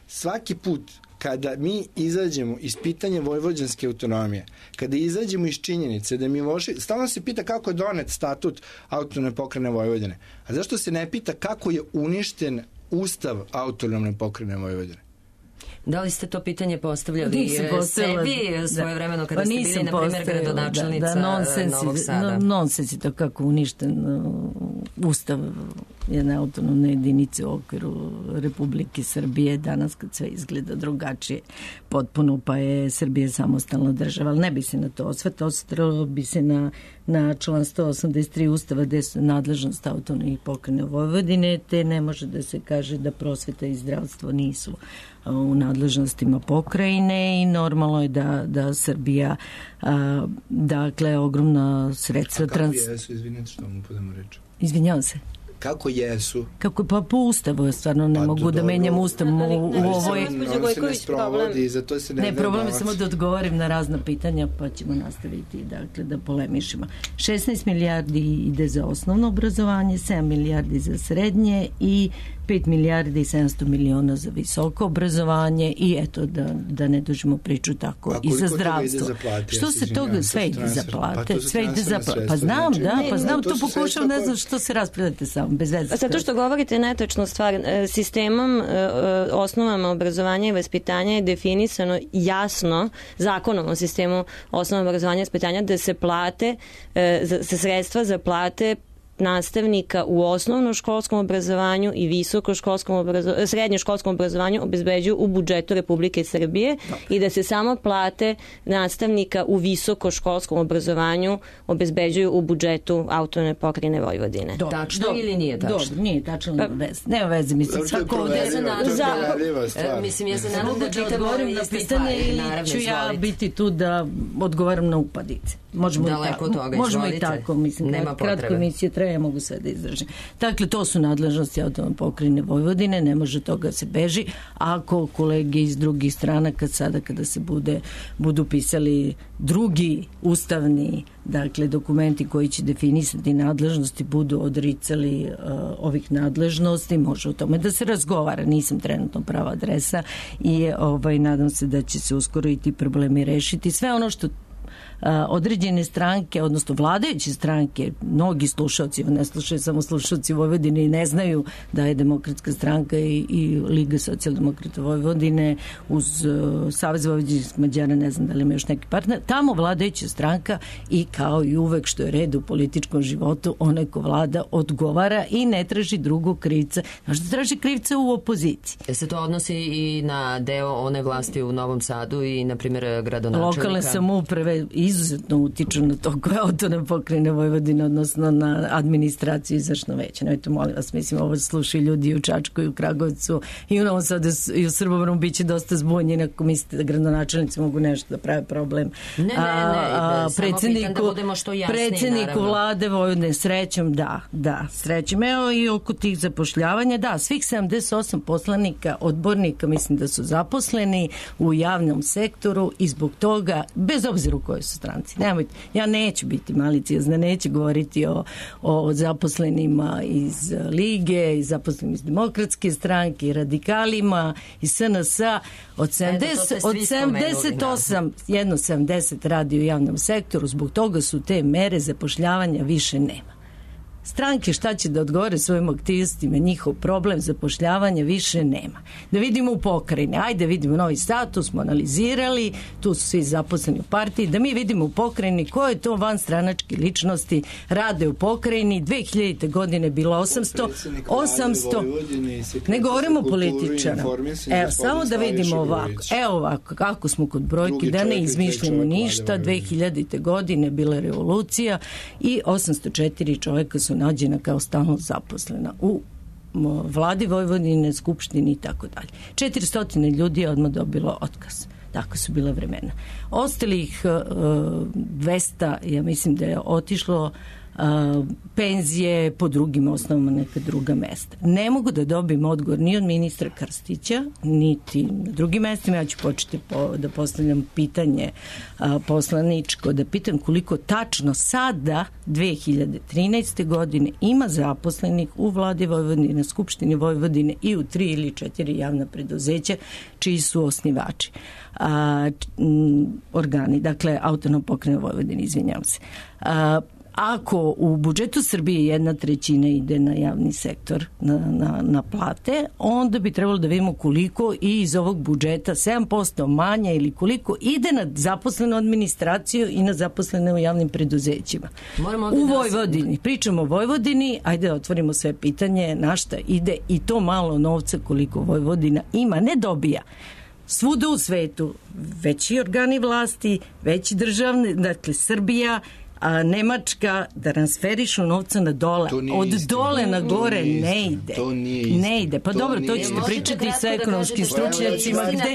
svaki put kada mi izađemo iz pitanja vojvođanske autonomije, kada izađemo iz činjenice da mi loši, stalno se pita kako je donet statut autonomne pokrajine Vojvodine, a zašto se ne pita kako je uništen ustav autonomne pokrajine Vojvodine?
Da li ste to pitanje postavljali sebi svoje vremeno kada pa ste bili, na primjer, gradonačelnica da, da, nonsens, Novog Sada?
No, nonsens je to kako uništen uh, ustav jedne autonomne jedinice u okviru Republike Srbije danas kad sve izgleda drugačije potpuno, pa je Srbija samostalna država, ali ne bi se na to osvrtao, osvrtao bi se na, na član sto osamdeset tri Ustava gde su nadležnost autonomnih pokrajina Vojvodine, te ne može da se kaže da prosveta i zdravstvo nisu u nadležnostima pokrajine i normalno je da, da Srbija a, dakle ogromna sredstva...
A kako trans... jesu, izvinite što mu podamo reći?
Izvinjavam se.
Kako jesu?
Kako, pa po ustavu stvarno ne pa mogu da menjam ustav u, u ovoj...
On se ne sprovodi, zato se ne...
Ne, problem je samo da odgovorim na razna pitanja, pa ćemo nastaviti dakle, da polemišimo. šesnaest milijardi ide za osnovno obrazovanje, sedam milijardi za srednje i pet milijardi i sedamsto miliona za visoko obrazovanje i eto da, da ne dužimo priču tako
a
i za zdravstvo.
Za plate,
što se toga sve ide za plate? Pa sve ide za plate. Pa znam, da, pa znam, to pokušam, ne znam što se raspravljate samo, bez veze.
Zato što govorite netačnu stvar, sistemom, osnovama obrazovanja i vaspitanja je definisano jasno, zakonom o sistemu osnovama obrazovanja i vaspitanja, da se plate, se sredstva za plate nastavnika u osnovnoškolskom obrazovanju i visokoškolskom obrazovanju, srednjoškolskom obrazovanju obezbeđuju u budžetu Republike Srbije i da se samo plate nastavnika u visokoškolskom obrazovanju obezbeđuju u budžetu autonomne pokrajine Vojvodine.
Do, tačno do, ili nije tačno?
Dobro, nije tačno, nema veze. Nema veze, mislim, svako ovde se nadam. Mislim, ja se nadam da čitamo iste stvari. Naravno, ću ja biti tu da odgovaram na upadice. Možemo i tako. Možemo i tako, mislim, kratko emisije traje ja mogu sve da izražim. Dakle, to su nadležnosti autonomne pokrajine Vojvodine, ne može toga se beži. Ako kolege iz drugih stranaka sada kada se bude, budu pisali drugi ustavni, dakle, dokumenti koji će definisati nadležnosti, budu odricali uh, ovih nadležnosti, može o tome da se razgovara. Nisam trenutno prava adresa i ovaj, nadam se da će se uskoro i ti problemi rešiti. Sve ono što određene stranke, odnosno vladajuće stranke, mnogi slušalci, ne slušaju samo slušalci Vojvodine i ne znaju da je Demokratska stranka i, i Liga socijaldemokrata Vojvodine uz uh, Savez vojvođanskih Mađara, ne znam da li ima još neki partner, tamo vladajuća stranka i kao i uvek što je red u političkom životu, onaj ko vlada odgovara i ne traži drugog krivca. Znaš da traži krivca u opoziciji.
E se to odnosi i na deo one vlasti u Novom Sadu i, na primjer, gradonačelnika?
Lokalne samouprave izuzetno utiču na to koja autonomna pokrajina Vojvodine, odnosno na administraciju izvršno veće. Nemojte, molim vas, mislim, ovo slušaju ljudi i u Čačku i u Kragovicu i u Novom Sadu i u Srbobranu biće dosta zbunjeni ako mislite da gradonačelnici mogu nešto da prave problem.
Ne, ne, ne, a, samo pitan da budemo što jasniji,
predsjedniku
naravno.
Vlade Vojvodine, srećom, da, da, srećom. Evo i oko tih zapošljavanja, da, svih sedamdeset osam poslanika, odbornika, mislim da su zaposleni u javnom sektoru i zbog toga, bez obzira u kojoj su stranci. Nemojte, ja neću biti maliciozna, neću govoriti o, o zaposlenima iz Lige, i zaposlenima iz Demokratske stranke, i radikalima, i S N S-a. Od, sedamdeset, od sedamdeset osam, jedno sedamdeset radi u javnom sektoru, zbog toga su te mere zapošljavanja više nema. Stranke šta će da odgovore svojim aktivistima, njihov problem zapošljavanja više nema. Da vidimo u pokrajini, ajde vidimo Novi Sad, tu smo analizirali, tu su svi zaposleni u partiji, da mi vidimo u pokrajini koje to vanstranačke ličnosti rade u pokrajini. dve hiljadite godine bilo osamsto, osamsto, ne govorimo o političara. Evo, samo da vidimo ovako, evo ovako, kako smo kod brojki, da ne izmišljamo ništa, dve hiljadite godine bila revolucija i osamsto četiri čoveka su nađena kao stalno zaposlena u vladi Vojvodine, skupštini i tako dalje. četiristo ljudi je odmah dobilo otkaz. Tako su bila vremena. Ostalih dvesta, ja mislim da je otišlo Uh, penzije po drugim osnovama, neka druga mesta. Ne mogu da dobijem odgovor ni od ministra Krstića, niti na drugim mestima. Ja ću početi po, da postavljam pitanje uh, poslaničko, da pitam koliko tačno sada, dve hiljade trinaeste. godine, ima zaposlenih u vladi Vojvodine, na Skupštini Vojvodine i u tri ili četiri javna preduzeća čiji su osnivači. Uh, m, organi, dakle, autonomna pokrajina Vojvodine, izvinjavam se. Uh, Ako u budžetu Srbije jedna trećina ide na javni sektor, na, na, na plate, onda bi trebalo da vidimo koliko i iz ovog budžeta, sedam posto manje ili koliko ide na zaposlenu administraciju i na zaposlene u javnim preduzećima. U Vojvodini, pričamo o Vojvodini, ajde da otvorimo sve pitanje na šta ide i to malo novca koliko Vojvodina ima, ne dobija. Svuda u svetu veći organi vlasti, veći državni, dakle Srbija, a Nemačka da transferišu novca na dole. Od dole na gore ne ide.
To nije istina.
Ne ide. Pa to dobro, to ćete pričati sa ekonomskim stručnjacima gde,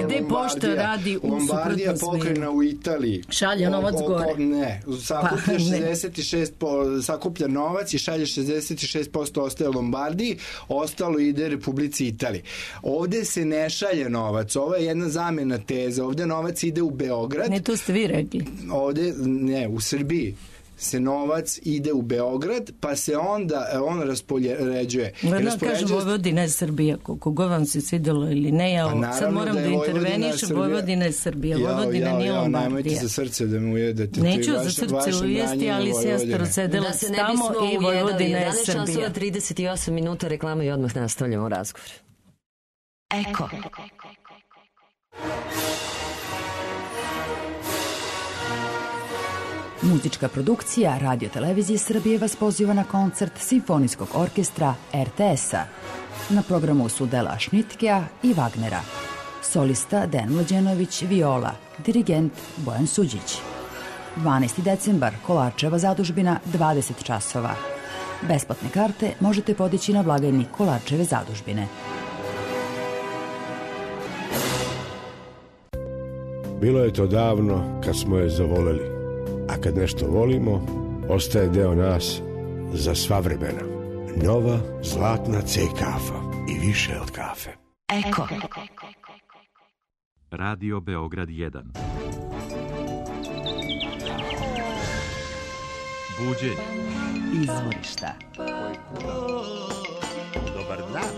gde pošta radi u
Lombardija pokrajina u Italiji.
Šalje novac gore.
Ne, sakuplja šezdeset šest posto, sakuplja novac i šalje šezdeset šest posto ostaje Lombardiji, ostalo ide Republici Italiji. Ovde se ne šalje novac. Ovo je jedna zamena teza. Ovde novac ide u Beograd.
Ne, to ste vi rekli.
Ovde ne, u Srbiji se novac ide u Beograd, pa se onda on raspoređuje.
Gledam, kažem, Vojvodina je Srbija, koliko god vam se svidelo ili ne, ja pa sad moram da, da intervenišem, Vojvodina je Srbija, Vojvodina nije Lombardija.
Nemojte za srce da me ujedete.
Neću za srce ujesti, ali sestra sedela
da se
tamo i Vojvodina je Srbija.
jedanaest časova trideset osam minuta reklama i odmah nastavljamo razgovor. Eko.
Muzička produkcija Radio Televizije Srbije vas poziva na koncert Simfonijskog orkestra R T S-a. Na programu su Dela Šnitkea i Wagnera. Solista Dejan Mlađenović, viola, dirigent Bojan Suđić. dvanaesti decembar, Kolarčeva zadužbina, dvadeset časova. Besplatne karte možete podići na blagajni Kolarčeve zadužbine.
Bilo je to davno kad smo je zavoleli. A kad nešto volimo, ostaje deo nas za sva vremena. Nova zlatna C kafa i više od kafe.
Eko.
Radio Beograd jedan. Buđenje.
Izvorišta.
Dobar dan.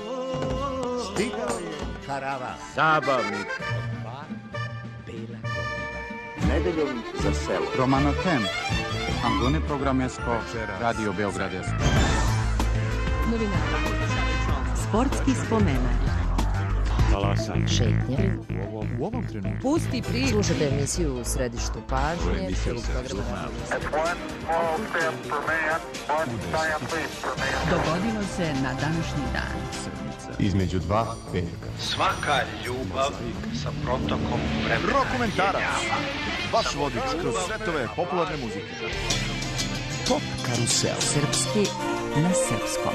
Stigao je karavan.
Zabavnik.
Bela
Nedeljom za selo.
Romano Tem. Angone programesko. Radio Beogradesko.
Novinara. Sportski spomenak.
Talasanje.
Šetnje.
U ovom, u ovom trenutku.
Pusti priču.
Slušate emisiju U središtu pažnje.
Dogodilo se na današnji dan.
Između dva petka.
Svaka ljubav sa protokom vremena.
Rokomentarac. Vaš vodič kroz svetove popularne muzike.
Pop karusel.
Srpski na srpskom.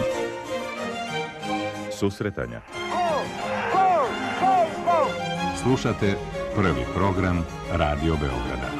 Susretanja.
Slušate prvi program Radio Beograda.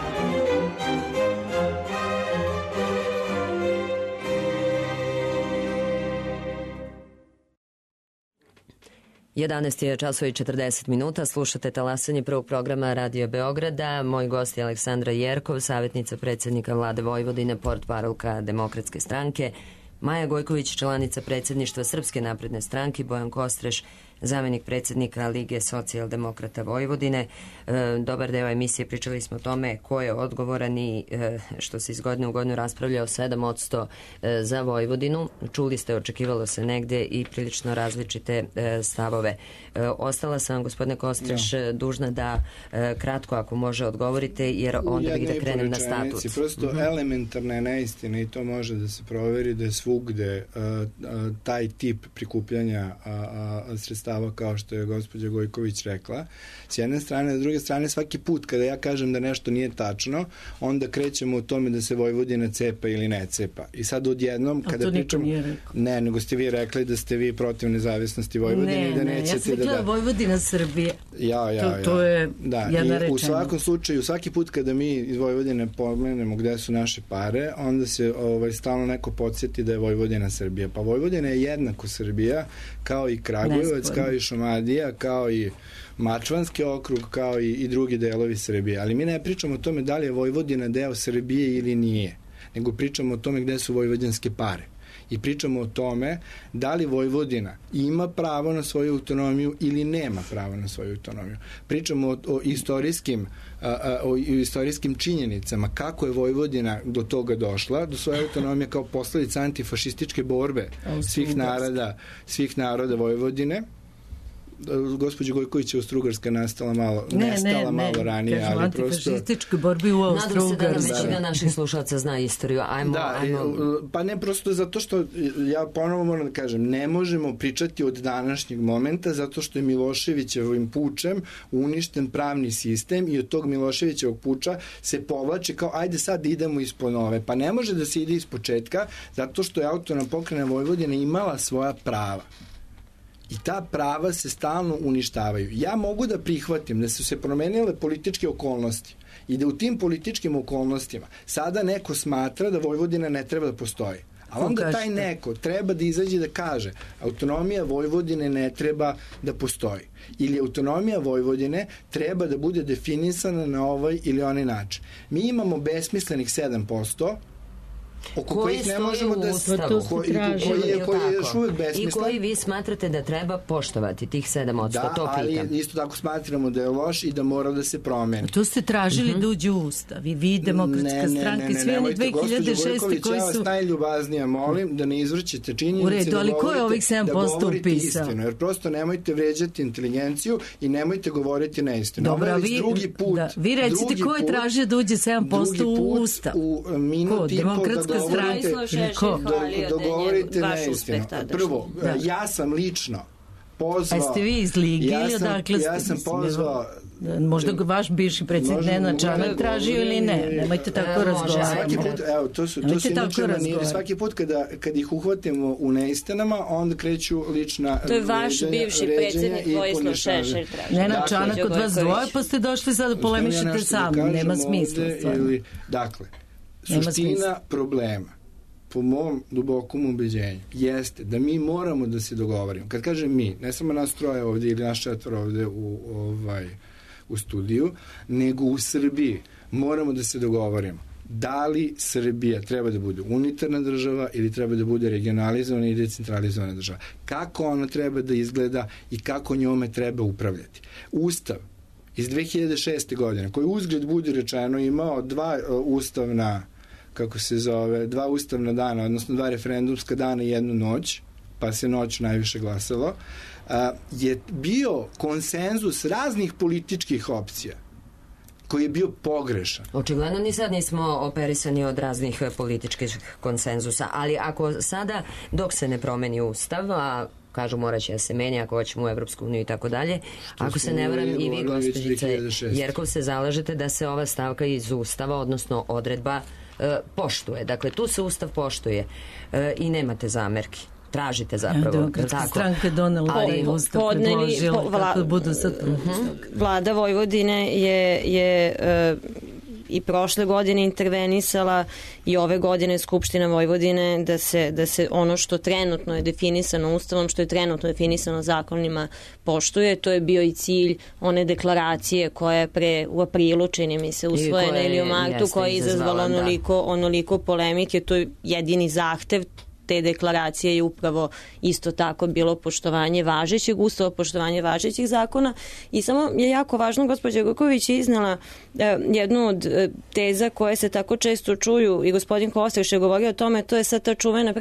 jedanaest je časova i četrdeset minuta, slušate talasanje prvog programa Radio Beograda. Moj gost je Aleksandra Jerkov, savjetnica predsjednika vlade Vojvodine, portparolka Demokratske stranke, Maja Gojković, članica predsjedništva Srpske napredne stranke, Bojan Kostreš, zamenik predsjednika Lige socijaldemokrata Vojvodine. E, dobar deo emisije pričali smo o tome ko je odgovoran i e, što se iz godine u godinu raspravlja o sedam posto e, za Vojvodinu. Čuli ste, očekivalo se negde i prilično različite e, stavove. E, ostala sam, gospodine Kostreš, ja. dužna da e, kratko, ako može, odgovorite, jer onda bih da krenem na statut.
Prosto
mm-hmm.
elementarna je neistina i to može da se proveri da je svugde a, a, taj tip prikupljanja a, a, sredstava kao što je gospođa Gojković rekla. S jedne strane, s druge strane, svaki put kada ja kažem da nešto nije tačno, onda krećemo u tome da se Vojvodina cepa ili ne cepa. I sad odjednom, kada pričamo... Ne, nego ste vi rekli da ste vi protiv nezavisnosti Vojvodine
ne,
i da
ne,
nećete
ja sam
da...
rekla Vojvodina Srbije.
Ja, ja,
to,
ja.
To je
da.
jedna
I
rečenica.
U svakom slučaju, svaki put kada mi iz Vojvodine pomenemo gde su naše pare, onda se ovaj, stalno neko podsjeti da je Vojvodina Srbija. Pa Vojvodina je jednako Srbija, kao i Kragujevac, kao i Šumadija, kao i Mačvanski okrug, kao i, i drugi delovi Srbije. Ali mi ne pričamo o tome da li je Vojvodina deo Srbije ili nije, nego pričamo o tome gde su vojvođanske pare. I pričamo o tome da li Vojvodina ima pravo na svoju autonomiju ili nema pravo na svoju autonomiju. Pričamo o, o istorijskim a, a, o istorijskim činjenicama kako je Vojvodina do toga došla, do svoje autonomije kao posledica antifašističke borbe svih naroda, svih naroda Vojvodine. Gospođa Gojković je Austrougarska nastala malo,
ne,
nestala
ne,
malo
ne.
ranije,
Kažem,
ali prosto...
antifašističke borbi u Austrougarskoj.
Nadam se da nam većina naših slušalaca zna istoriju. Ajmo,
da,
ajmo...
pa ne prosto zato što, ja ponovo moram da kažem, ne možemo pričati od današnjeg momenta zato što je Miloševićevim pučem uništen pravni sistem i od tog Miloševićevog puča se povlače kao ajde sad idemo ispod nove. Pa ne može da se ide iz početka zato što je autonomna pokrajina Vojvodina imala svoja prava. I ta prava se stalno uništavaju. Ja mogu da prihvatim da su se promenile političke okolnosti i da u tim političkim okolnostima sada neko smatra da Vojvodina ne treba da postoji. A onda taj neko treba da izađe da kaže autonomija Vojvodine ne treba da postoji. Ili autonomija Vojvodine treba da bude definisana na ovaj ili onaj način. Mi imamo besmislenih sedam posto oko
koji
kojih ne možemo da
Ustavu,
koji, koji, je, koji je još uvek besmislen.
I koji vi smatrate da treba poštovati tih sedam posto,
da,
to pitam.
Ali isto tako smatramo da je loš i da mora da se promeni.
To ste tražili mm-hmm. da uđe u Ustav i vi, Demokratska
ne,
stranka,
ne, ne,
svi oni dve hiljade šeste koji
ja vas
su...
najljubaznije molim da ne izvrćete činjenice.
U redu, ali ko je ovih sedam posto upisao?
Istinu, jer prosto nemojte vređati inteligenciju i nemojte govoriti neistinu.
Dobro, vi,
drugi put,
da, vi recite ko je tražio da uđe sedam posto u Ustav?
U minut i po da govorite...
Ko?
Dogovorite neistinu. Prvo, da. ja sam lično pozvao...
A ste vi iz Lige ja ili odakle ste?
Ja sam pozvao...
Možda vaš bivši predsjednik Nenad Čanak tražio ili ne. Nemojte tako razgovarati.
Svaki put, evo, to su, to su inače maniri. Svaki put kada, kad ih uhvatimo u neistinama, onda kreću lična
to je vaš bivši predsjednik Vojislav Šešelj tražio.
Nenad Čanak od vas dvoje, pa ste došli sad da polemišete sa mnom. Nema smisla.
Dakle, suština problema, po mom dubokom ubeđenju, jeste da mi moramo da se dogovorimo. Kad kažem mi, ne samo nas troje ovde ili naš četvor ovde u, ovaj, u studiju, nego u Srbiji moramo da se dogovorimo. Da li Srbija treba da bude unitarna država ili treba da bude regionalizovana i decentralizovana država? Kako ona treba da izgleda i kako njome treba upravljati? Ustav iz dve hiljade šeste. godine, koji uzgled budi rečeno imao dva uh, ustavna, kako se zove, dva ustavna dana, odnosno dva referendumska dana i jednu noć, pa se noć najviše glasalo, uh, je bio konsenzus raznih političkih opcija koji je bio pogrešan.
Očigledno ni sad nismo operisani od raznih političkih konsenzusa, ali ako sada, dok se ne promeni ustav, a kažu morat će da se menja ako hoćemo u Evropsku uniju i tako dalje, ako se ne varam i vi, gospođice Jerkov, se zalažete da se ova stavka iz ustava, odnosno odredba, e, poštuje. Dakle, tu se ustav poštuje e, i nemate zamerki. Tražite zapravo.
Demokratska stranka donela ali ustav predložila po, vla, kako budu sad uh-huh.
Vlada Vojvodine je, je uh, i prošle godine intervenisala i ove godine Skupština Vojvodine da se, da se ono što trenutno je definisano ustavom, što je trenutno definisano zakonima poštuje. To je bio i cilj one deklaracije koja je pre u aprilu, čini mi se, usvojena ili u martu, koja je izazvala onoliko, onoliko polemike. To je jedini zahtev te deklaracije je upravo isto tako bilo poštovanje važećeg ustava, poštovanje važećih zakona i samo je jako važno, gospođa Gojković je iznala eh, jednu od eh, teza koje se tako često čuju i gospodin Kostreš je govorio o tome, to je sad ta čuvena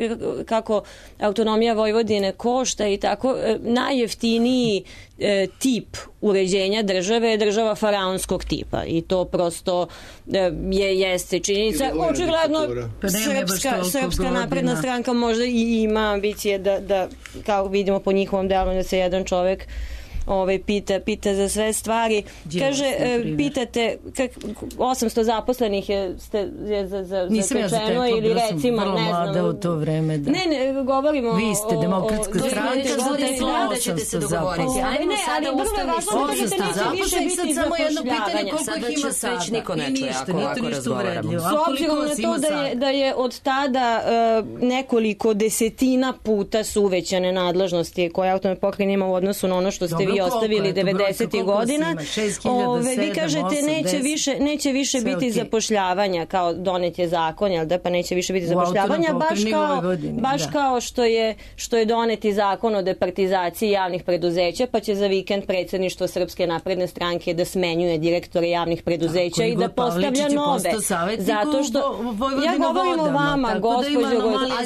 kako autonomija Vojvodine košta i tako eh, najjeftiniji eh, tip uređenja države je država faraonskog tipa i to prosto eh, je jeste činjenica. Očigledno
pa
srpska, srpska napredna stranka možda i ima ambicije da, da kao vidimo po njihovom delu da se jedan čovek ovaj, pita, pita za sve stvari. Kaže, e, pitate kak, osamsto zaposlenih je, ste, je za, za, zatečeno ja ili recimo, ne znam.
U to vreme, da.
Ne, ne, govorimo
vi ste demokratska stranka,
da ćete se dogovoriti. Ajmo sada ustavni sud.
osamsto sad samo jedno pitanje koliko ih ima sada.
Već niko ne čuje ako ovako razgovaramo.
S obzirom na to da je, da je od tada uh, nekoliko desetina puta su uvećane nadležnosti koje autonomne pokrajine ima u odnosu na ono što ste vi ostavili devedesetih godina. Ove, vi kažete neće više, neće više biti okay. zapošljavanja, kao donet je zakon, jel da, pa neće više biti zapošljavanja, baš kao, Vojvodini, baš da. kao što je, što je doneti zakon o departizaciji javnih preduzeća, pa će za vikend predsjedništvo Srpske napredne stranke da smenjuje direktore javnih preduzeća i da postavlja nove. Zato što ja govorim o vama, gospođo,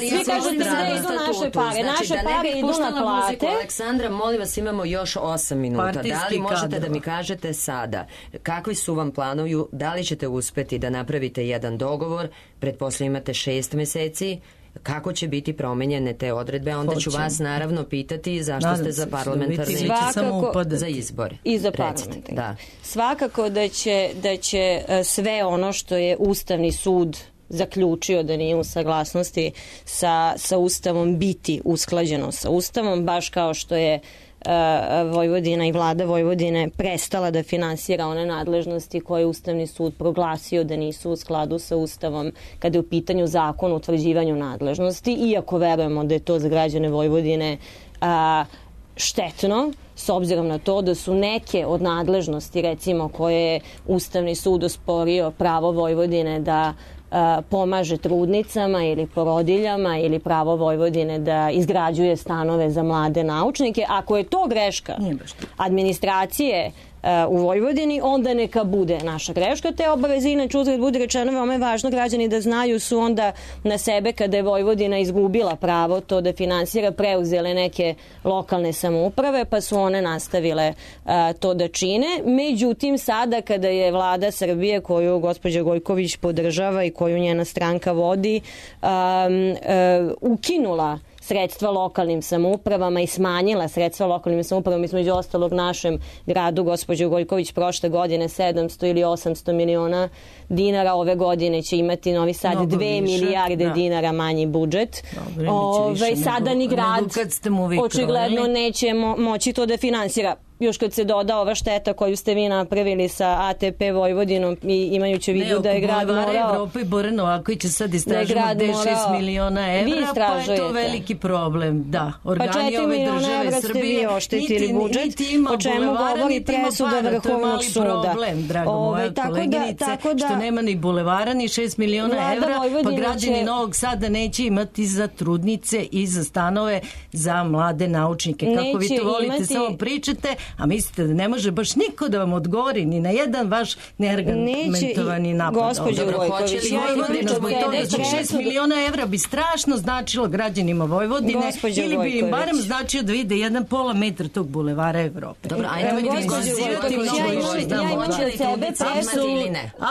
vi kažete da idu naše pare. Naše pare idu na plate.
Aleksandra, molim vas, imamo još osam minuta. Da li možete kadrova. da mi kažete sada kakvi su vam planovi, da li ćete uspeti da napravite jedan dogovor, pretpostavljam imate šest meseci, kako će biti promenjene te odredbe, onda Hoćem. ću vas naravno pitati zašto Nadam ste za parlamentarne
svakako,
za izbore.
I za parlamentarne. Da. Svakako da će, da će sve ono što je Ustavni sud zaključio da nije u saglasnosti sa, sa Ustavom biti usklađeno sa Ustavom, baš kao što je Vojvodina i vlada Vojvodine prestala da finansira one nadležnosti koje je Ustavni sud proglasio da nisu u skladu sa Ustavom kada je u pitanju zakon o utvrđivanju nadležnosti, iako verujemo da je to za građane Vojvodine a, štetno, s obzirom na to da su neke od nadležnosti, recimo, koje je Ustavni sud osporio pravo Vojvodine da pomaže trudnicama ili porodiljama ili pravo Vojvodine da izgrađuje stanove za mlade naučnike. Ako je to greška administracije u Vojvodini, onda neka bude naša greška. Te obaveze, inače uzgled bude rečeno, veoma je važno građani da znaju, su onda na sebe kada je Vojvodina izgubila pravo to da finansira, preuzele neke lokalne samouprave, pa su one nastavile a, to da čine. Međutim, sada kada je vlada Srbije, koju gospođa Gojković podržava i koju njena stranka vodi, a, a, ukinula sredstva lokalnim samoupravama i smanjila sredstva lokalnim samoupravama, između ostalog našem gradu, gospođo Gojković, prošle godine sedamsto ili osamsto miliona dinara, ove godine će imati Novi Sad Mnogo dve više, milijarde da. dinara manji budžet. Dobre, Ove, sada nego, ni grad očigledno neće mo- moći to da finansira. još kad se doda ova šteta koju ste vi napravili sa A T P Vojvodinom i imajući u vidu da je grad morao...
Ne, oko Evrope i Bora Novaković će sad istražimo gde je šest miliona evra, pa je to veliki problem. Da, organi
pa
ove države Srbije...
Pa oštetili budžet, o čemu govori presuda Vrhovnog suda.
Problem, drago moja koleginice, što nema ni bulevara, ni šest miliona evra, pa građani Novog Sada neće imati za trudnice i za stanove za mlade naučnike. Kako vi to volite, samo pričate, a mislite da ne može baš niko da vam odgovori ni na jedan vaš neargumentovani napad.
Gospođo Gojković,
šest miliona evra bi strašno značilo građanima Vojvodine ili bi im barem značio da vide jedan pola metra tog bulevara Evrope.
Dobro, ajde mi diskuzirati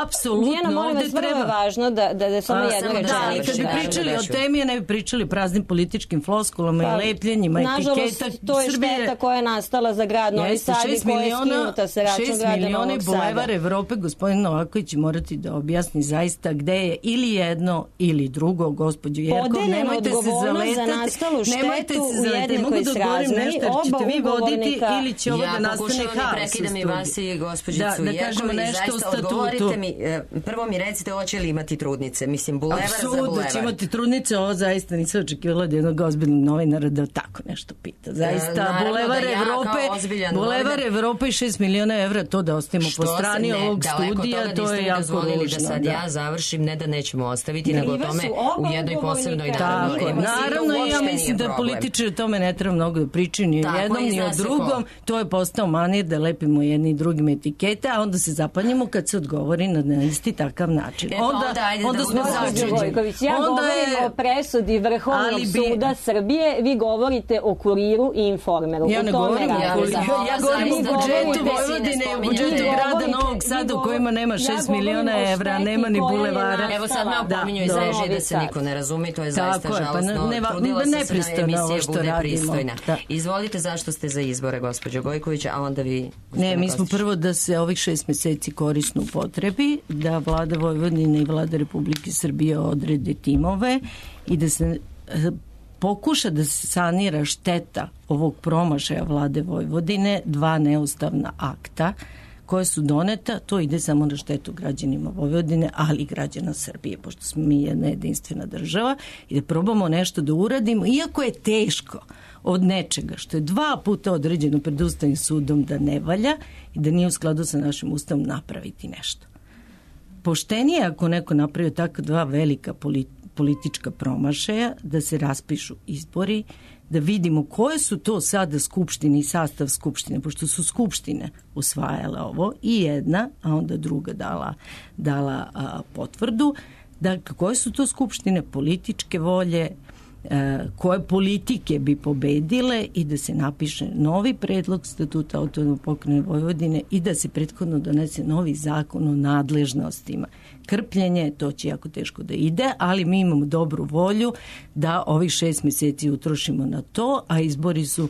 apsolutno.
Dijana, molim vas, vrlo je važno da, da, da samo jedno rečenicu.
Kad bi pričali o temi, ne bi pričali praznim političkim floskulama i lepljenjima, etiketa.
Nažalost, to je šteta koja je nastala za grad Novi Sad i koja je skinuta sa račun grada Novog Sada.
Bulevar Evrope, gospodin Novaković morati da objasni zaista gde je ili jedno ili drugo, gospođo Jerkov, nemojte se zaletati, nemojte se zaletati, mogu da odgovorim nešto, jer ćete vi voditi ili će ovo da nastane haos.
Ja prekidam i vas i gospođicu Jerkov i zaista odgovorite mi, prvo mi recite hoće li imati trudnice, mislim bulevar za bulevar.
Apsolutno će imati trudnice, ovo zaista nisam očekivala od jednog ozbiljnog novinara da tako nešto pita. Zaista, bulevar Evrope, bulevar Evrope i šest miliona evra, to da ostavimo po strani ovog studija, to je jako ružno.
Da sad ja završim, ne da nećemo ostaviti, nego o tome u jednoj posebnoj
naravnoj emisiji. Naravno, ja mislim da političari o tome ne treba mnogo da pričaju ni o jednom, ni o drugom. To je postao manir da lepimo jedni i drugim etikete, a onda se zapanjimo kad se odgovori na isti takav način. Onda smo začuđeni.
Ja govorim o presudi Vrhovnog suda Srbije, vi govorite o Kuriru i Informeru.
Ja ne govorim o Kuriru. Ja govorim o budžetu Vojvodine i o budžetu grada Novog Sada u kojima nema šest miliona evra, nema ni bulevara.
Evo sad me opominju iz režije da se niko ne razumi, to je zaista žalostno. Trudila sam se na emisije bude pristojna. Izvolite, zašto ste za izbore, gospođo Gojković, a onda vi...
Ne, mi smo prvo da se ovih šest meseci korisno upotrebi, da vlada Vojvodine i vlada Republike Srbije odrede timove i da se pokuša da se sanira šteta ovog promašaja vlade Vojvodine, dva neustavna akta koje su doneta, to ide samo na štetu građanima Vojvodine, ali i građana Srbije, pošto smo mi jedna jedinstvena država, i da probamo nešto da uradimo, iako je teško od nečega što je dva puta određeno pred Ustavnim sudom da ne valja i da nije u skladu sa našim Ustavom napraviti nešto. Poštenije ako neko napravio tako dva velika politička promašaja, da se raspišu izbori, da vidimo koje su to sada skupštine i sastav skupštine, pošto su skupštine usvajale ovo i jedna, a onda druga dala, dala a, potvrdu, da koje su to skupštine političke volje, a, koje politike bi pobedile i da se napiše novi predlog statuta Autonomne pokrajine Vojvodine i da se prethodno donese novi zakon o nadležnostima. Krpljenje, to će jako teško da ide, ali mi imamo dobru volju da ovih šest meseci utrošimo na to, a izbori su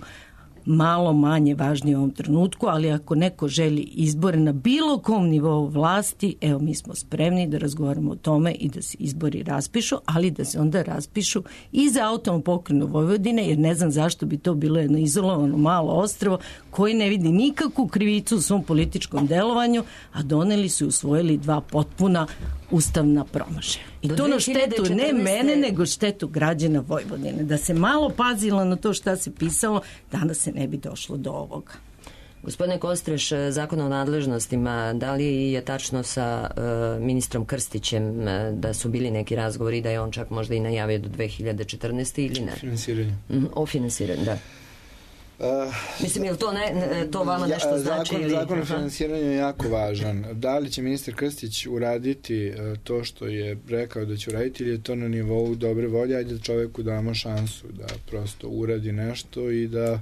malo manje važni u ovom trenutku, ali ako neko želi izbore na bilo kom nivou vlasti, evo mi smo spremni da razgovaramo o tome i da se izbori raspišu, ali da se onda raspišu i za Autonomnu pokrajinu Vojvodine, jer ne znam zašto bi to bilo jedno izolovano malo ostrvo koji ne vidi nikakvu krivicu u svom političkom delovanju, a doneli su i usvojili dva potpuna ustavna promašaja. I to na štetu ne mene, nego štetu građana Vojvodine. Da se malo pazilo na to šta se pisalo, danas se ne bi došlo do ovoga.
Gospodine Kostreš, zakon o nadležnostima, da li je tačno sa uh, ministrom Krstićem uh, da su bili neki razgovori, da je on čak možda i najavio do dve hiljade četrnaeste. ili ne?
O finansiranju.
Mm, o finansiranju, da. Uh, Mislim, je li to, ne, to vama nešto ja, znači?
Zakon,
ili...
zakon o finansiranju je jako važan. Da li će ministar Krstić uraditi uh, to što je rekao da će uraditi, ili je to na nivou dobre volje, ajde da čoveku damo šansu da prosto uradi nešto i da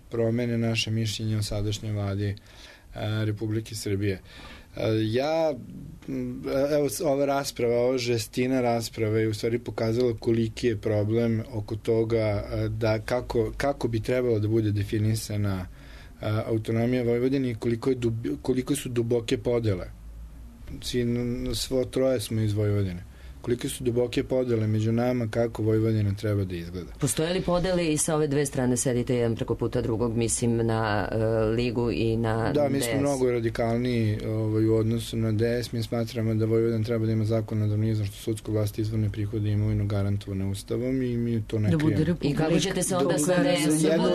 promene naše mišljenje o sadašnjoj vladi uh, Republike Srbije. Uh, ja, evo, ova rasprava, ova žestina rasprave je u stvari pokazala koliki je problem oko toga uh, da kako, kako bi trebalo da bude definisana uh, autonomija Vojvodine i koliko, je dubi, koliko su duboke podele. Svi, svo troje smo iz Vojvodine. kolike su duboke podele među nama kako Vojvodina treba da izgleda.
Postoje li podele i sa ove dve strane, sedite jedan preko puta drugog, mislim na uh, Ligu i na
Da, mi
D S?
smo mnogo radikalniji ovaj, u odnosu na D S. Mi smatramo da Vojvodina treba da ima zakonodavnu izvršnu sudsku vlast, izvorne prihode i imovinu garantovane ustavom i mi to ne
da
krijemo.
I kako ćete se onda sa D S?
Jedno,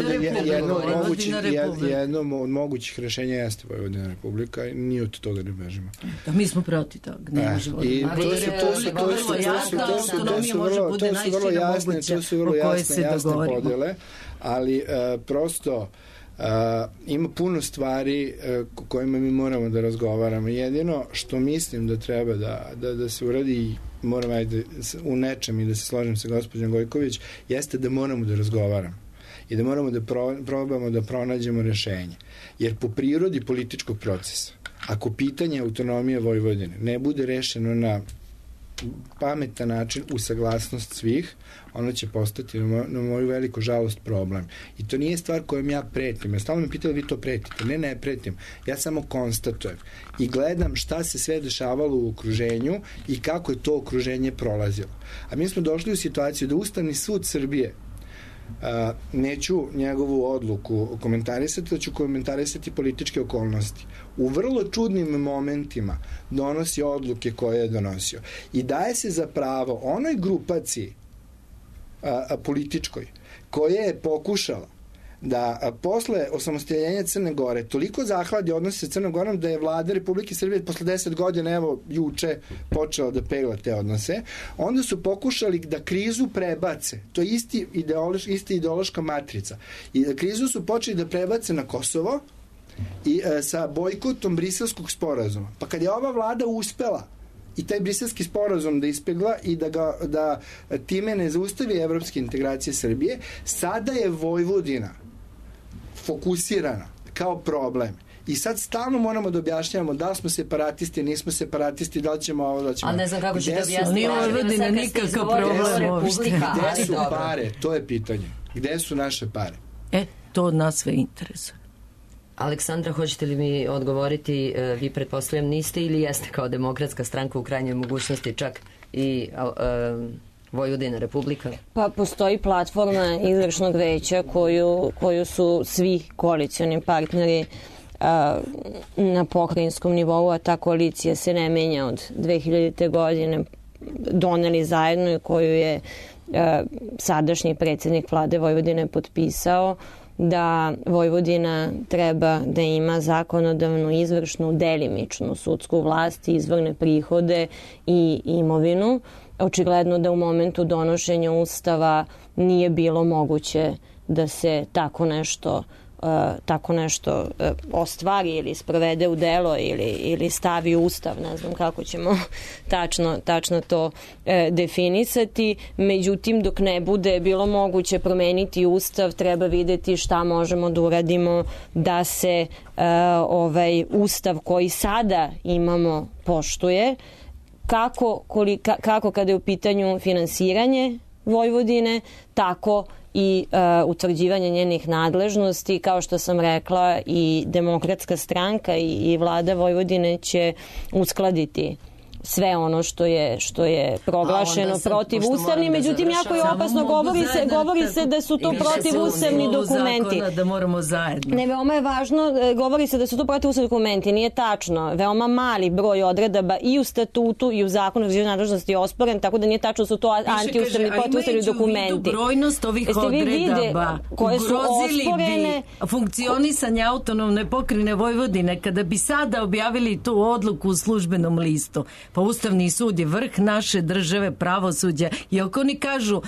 jedno, od mogućih,
Republika.
jedno od mogućih rešenja jeste Vojvodina Republika i nije od toga ne bežimo.
Da, mi smo protiv toga. Ne možemo.
I to su to su to su to su to su to su vrlo to su vrlo jasne, to su vrlo jasne jasne podele, ali prosto Uh, ima puno stvari uh, kojima mi moramo da razgovaramo. Jedino što mislim da treba da, da, da se uradi i moram ajde u nečem i da se složim sa gospođom Gojković, jeste da moramo da razgovaramo i da moramo da pro, probamo da pronađemo rešenje. Jer po prirodi političkog procesa, ako pitanje autonomije Vojvodine ne bude rešeno na pametan način u saglasnost svih, ono će postati na, moj, na moju veliku žalost problem. I to nije stvar kojom ja pretim. Ja stalno me pitali, vi to pretite. Ne, ne pretim. Ja samo konstatujem i gledam šta se sve dešavalo u okruženju i kako je to okruženje prolazilo. A mi smo došli u situaciju da Ustavni sud Srbije, Uh, neću njegovu odluku komentarisati, da ću komentarisati političke okolnosti. U vrlo čudnim momentima donosi odluke koje je donosio. I daje se za pravo onoj grupaciji a, a, političkoj koja je pokušala da a, posle osamostaljenja Crne Gore toliko zahladi odnose sa Crnom Gorom da je vlada Republike Srbije posle deset godina, evo, juče počela da pegla te odnose, onda su pokušali da krizu prebace. To je isti ideološ, ista ideološka matrica. I da krizu su počeli da prebace na Kosovo i e, sa bojkotom Briselskog sporazuma. Pa kad je ova vlada uspela i taj briselski sporazum da ispegla i da, ga, da time ne zaustavi evropske integracije Srbije, sada je Vojvodina fokusirana kao problem. I sad stalno moramo da objašnjavamo da li smo separatisti, nismo separatisti, da li ćemo ovo, da li ćemo...
Ali ne znam kako ćete objasniti.
Nije Vojvodina nikakav problem uopšte.
Gde su pare? To je pitanje. Gde su naše pare?
E, to od nas sve interesuje.
Aleksandra, hoćete li mi odgovoriti, vi pretpostavljam niste ili jeste kao Demokratska stranka u krajnjoj mogućnosti čak i uh, Vojvodina Republika?
Pa postoji platforma izvršnog veća koju, koju su svi koalicioni partneri uh, na pokrajinskom nivou, a ta koalicija se ne menja od dve hiljadite godine, doneli zajedno i koju je uh, sadašnji predsjednik vlade Vojvodine potpisao, da Vojvodina treba da ima zakonodavnu, izvršnu, delimičnu sudsku vlast, izvorne prihode i imovinu. Očigledno da u momentu donošenja Ustava nije bilo moguće da se tako nešto Uh, tako nešto uh, ostvari ili sprovede u delo ili, ili stavi u Ustav, ne znam kako ćemo tačno, tačno to uh, definisati. Međutim, dok ne bude bilo moguće promeniti Ustav, treba videti šta možemo da uradimo da se uh, ovaj Ustav koji sada imamo poštuje, kako, kolika, kako kada je u pitanju finansiranje Vojvodine, tako i uh, utvrđivanje njenih nadležnosti. Kao što sam rekla, i Demokratska stranka i, i vlada Vojvodine će uskladiti sve ono što je što je proglašeno protiv ustavni, međutim jako je opasno, govori se govori se da su to protiv ustavni dokumenti.
Da moramo zajedno.
Ne, veoma je važno, govori se da su to protiv ustavni dokumenti, nije tačno. Veoma mali broj odredaba i u statutu i u zakonu o nadležnosti je osporen, tako da nije tačno da su to antiustavni, protivustavni dokumenti.
Brojnost ovih odredaba koje su osporene, funkcionisanje autonomne pokrajine Vojvodine, kada bi sada objavili tu odluku u službenom listu. Pa Ustavni sud je vrh naše države, pravosuđa, i ako oni kažu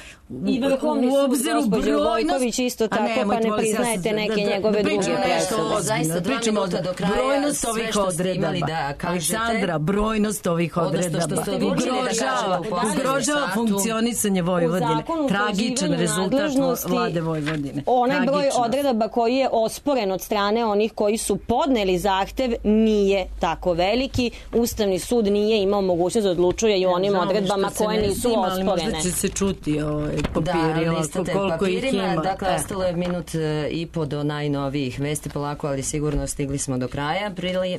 i Vrhovni sud, gospođo Gojković, isto tako, ne, pa ne priznajete neke da, njegove druge presude.
Zaista dva minuta do kraja,
brojnost ovih odredaba. Da Aleksandra, brojnost ovih odredaba ugrožava, ugrožava funkcionisanje Vojvodine. Tragičan rezultat vlade Vojvodine.
Onaj broj odredaba koji je osporen od strane onih koji su podneli zahtev nije tako veliki. Ustavni sud nije imao imao mogućnost da odlučuje i u onim odredbama koje nisu osporene.
Ali možda će se čuti ovaj papiri,
da, listate
koliko ih ima.
Dakle, e. ostalo je minut i po do najnovijih vesti polako, ali sigurno stigli smo do kraja.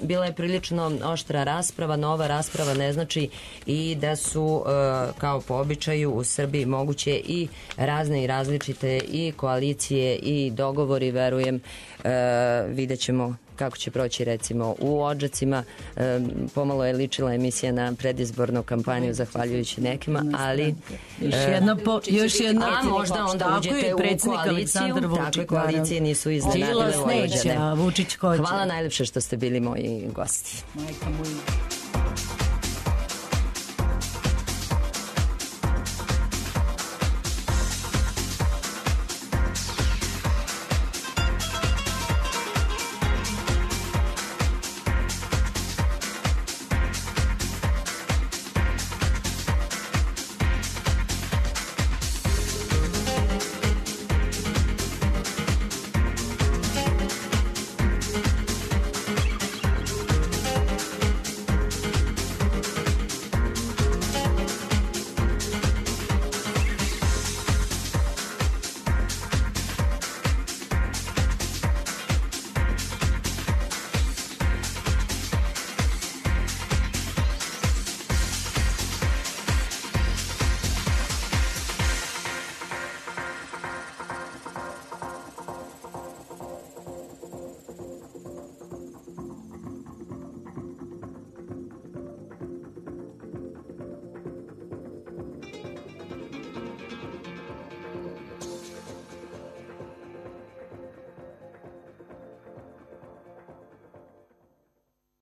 Bila je prilično oštra rasprava, nova rasprava ne znači i da su, kao po običaju, u Srbiji moguće i razne i različite i koalicije i dogovori, verujem, vidjet ćemo kako će proći recimo u Odžacima. E, pomalo je ličila emisija na predizbornu kampanju zahvaljujući nekima, ali
još jedna, po, još jedna
a možda onda uđete u koaliciju, takve koalicije nisu iznenadile Vojvođane.
Vučić hoće.
Hvala najlepše što ste bili moji gosti.
Majka moja.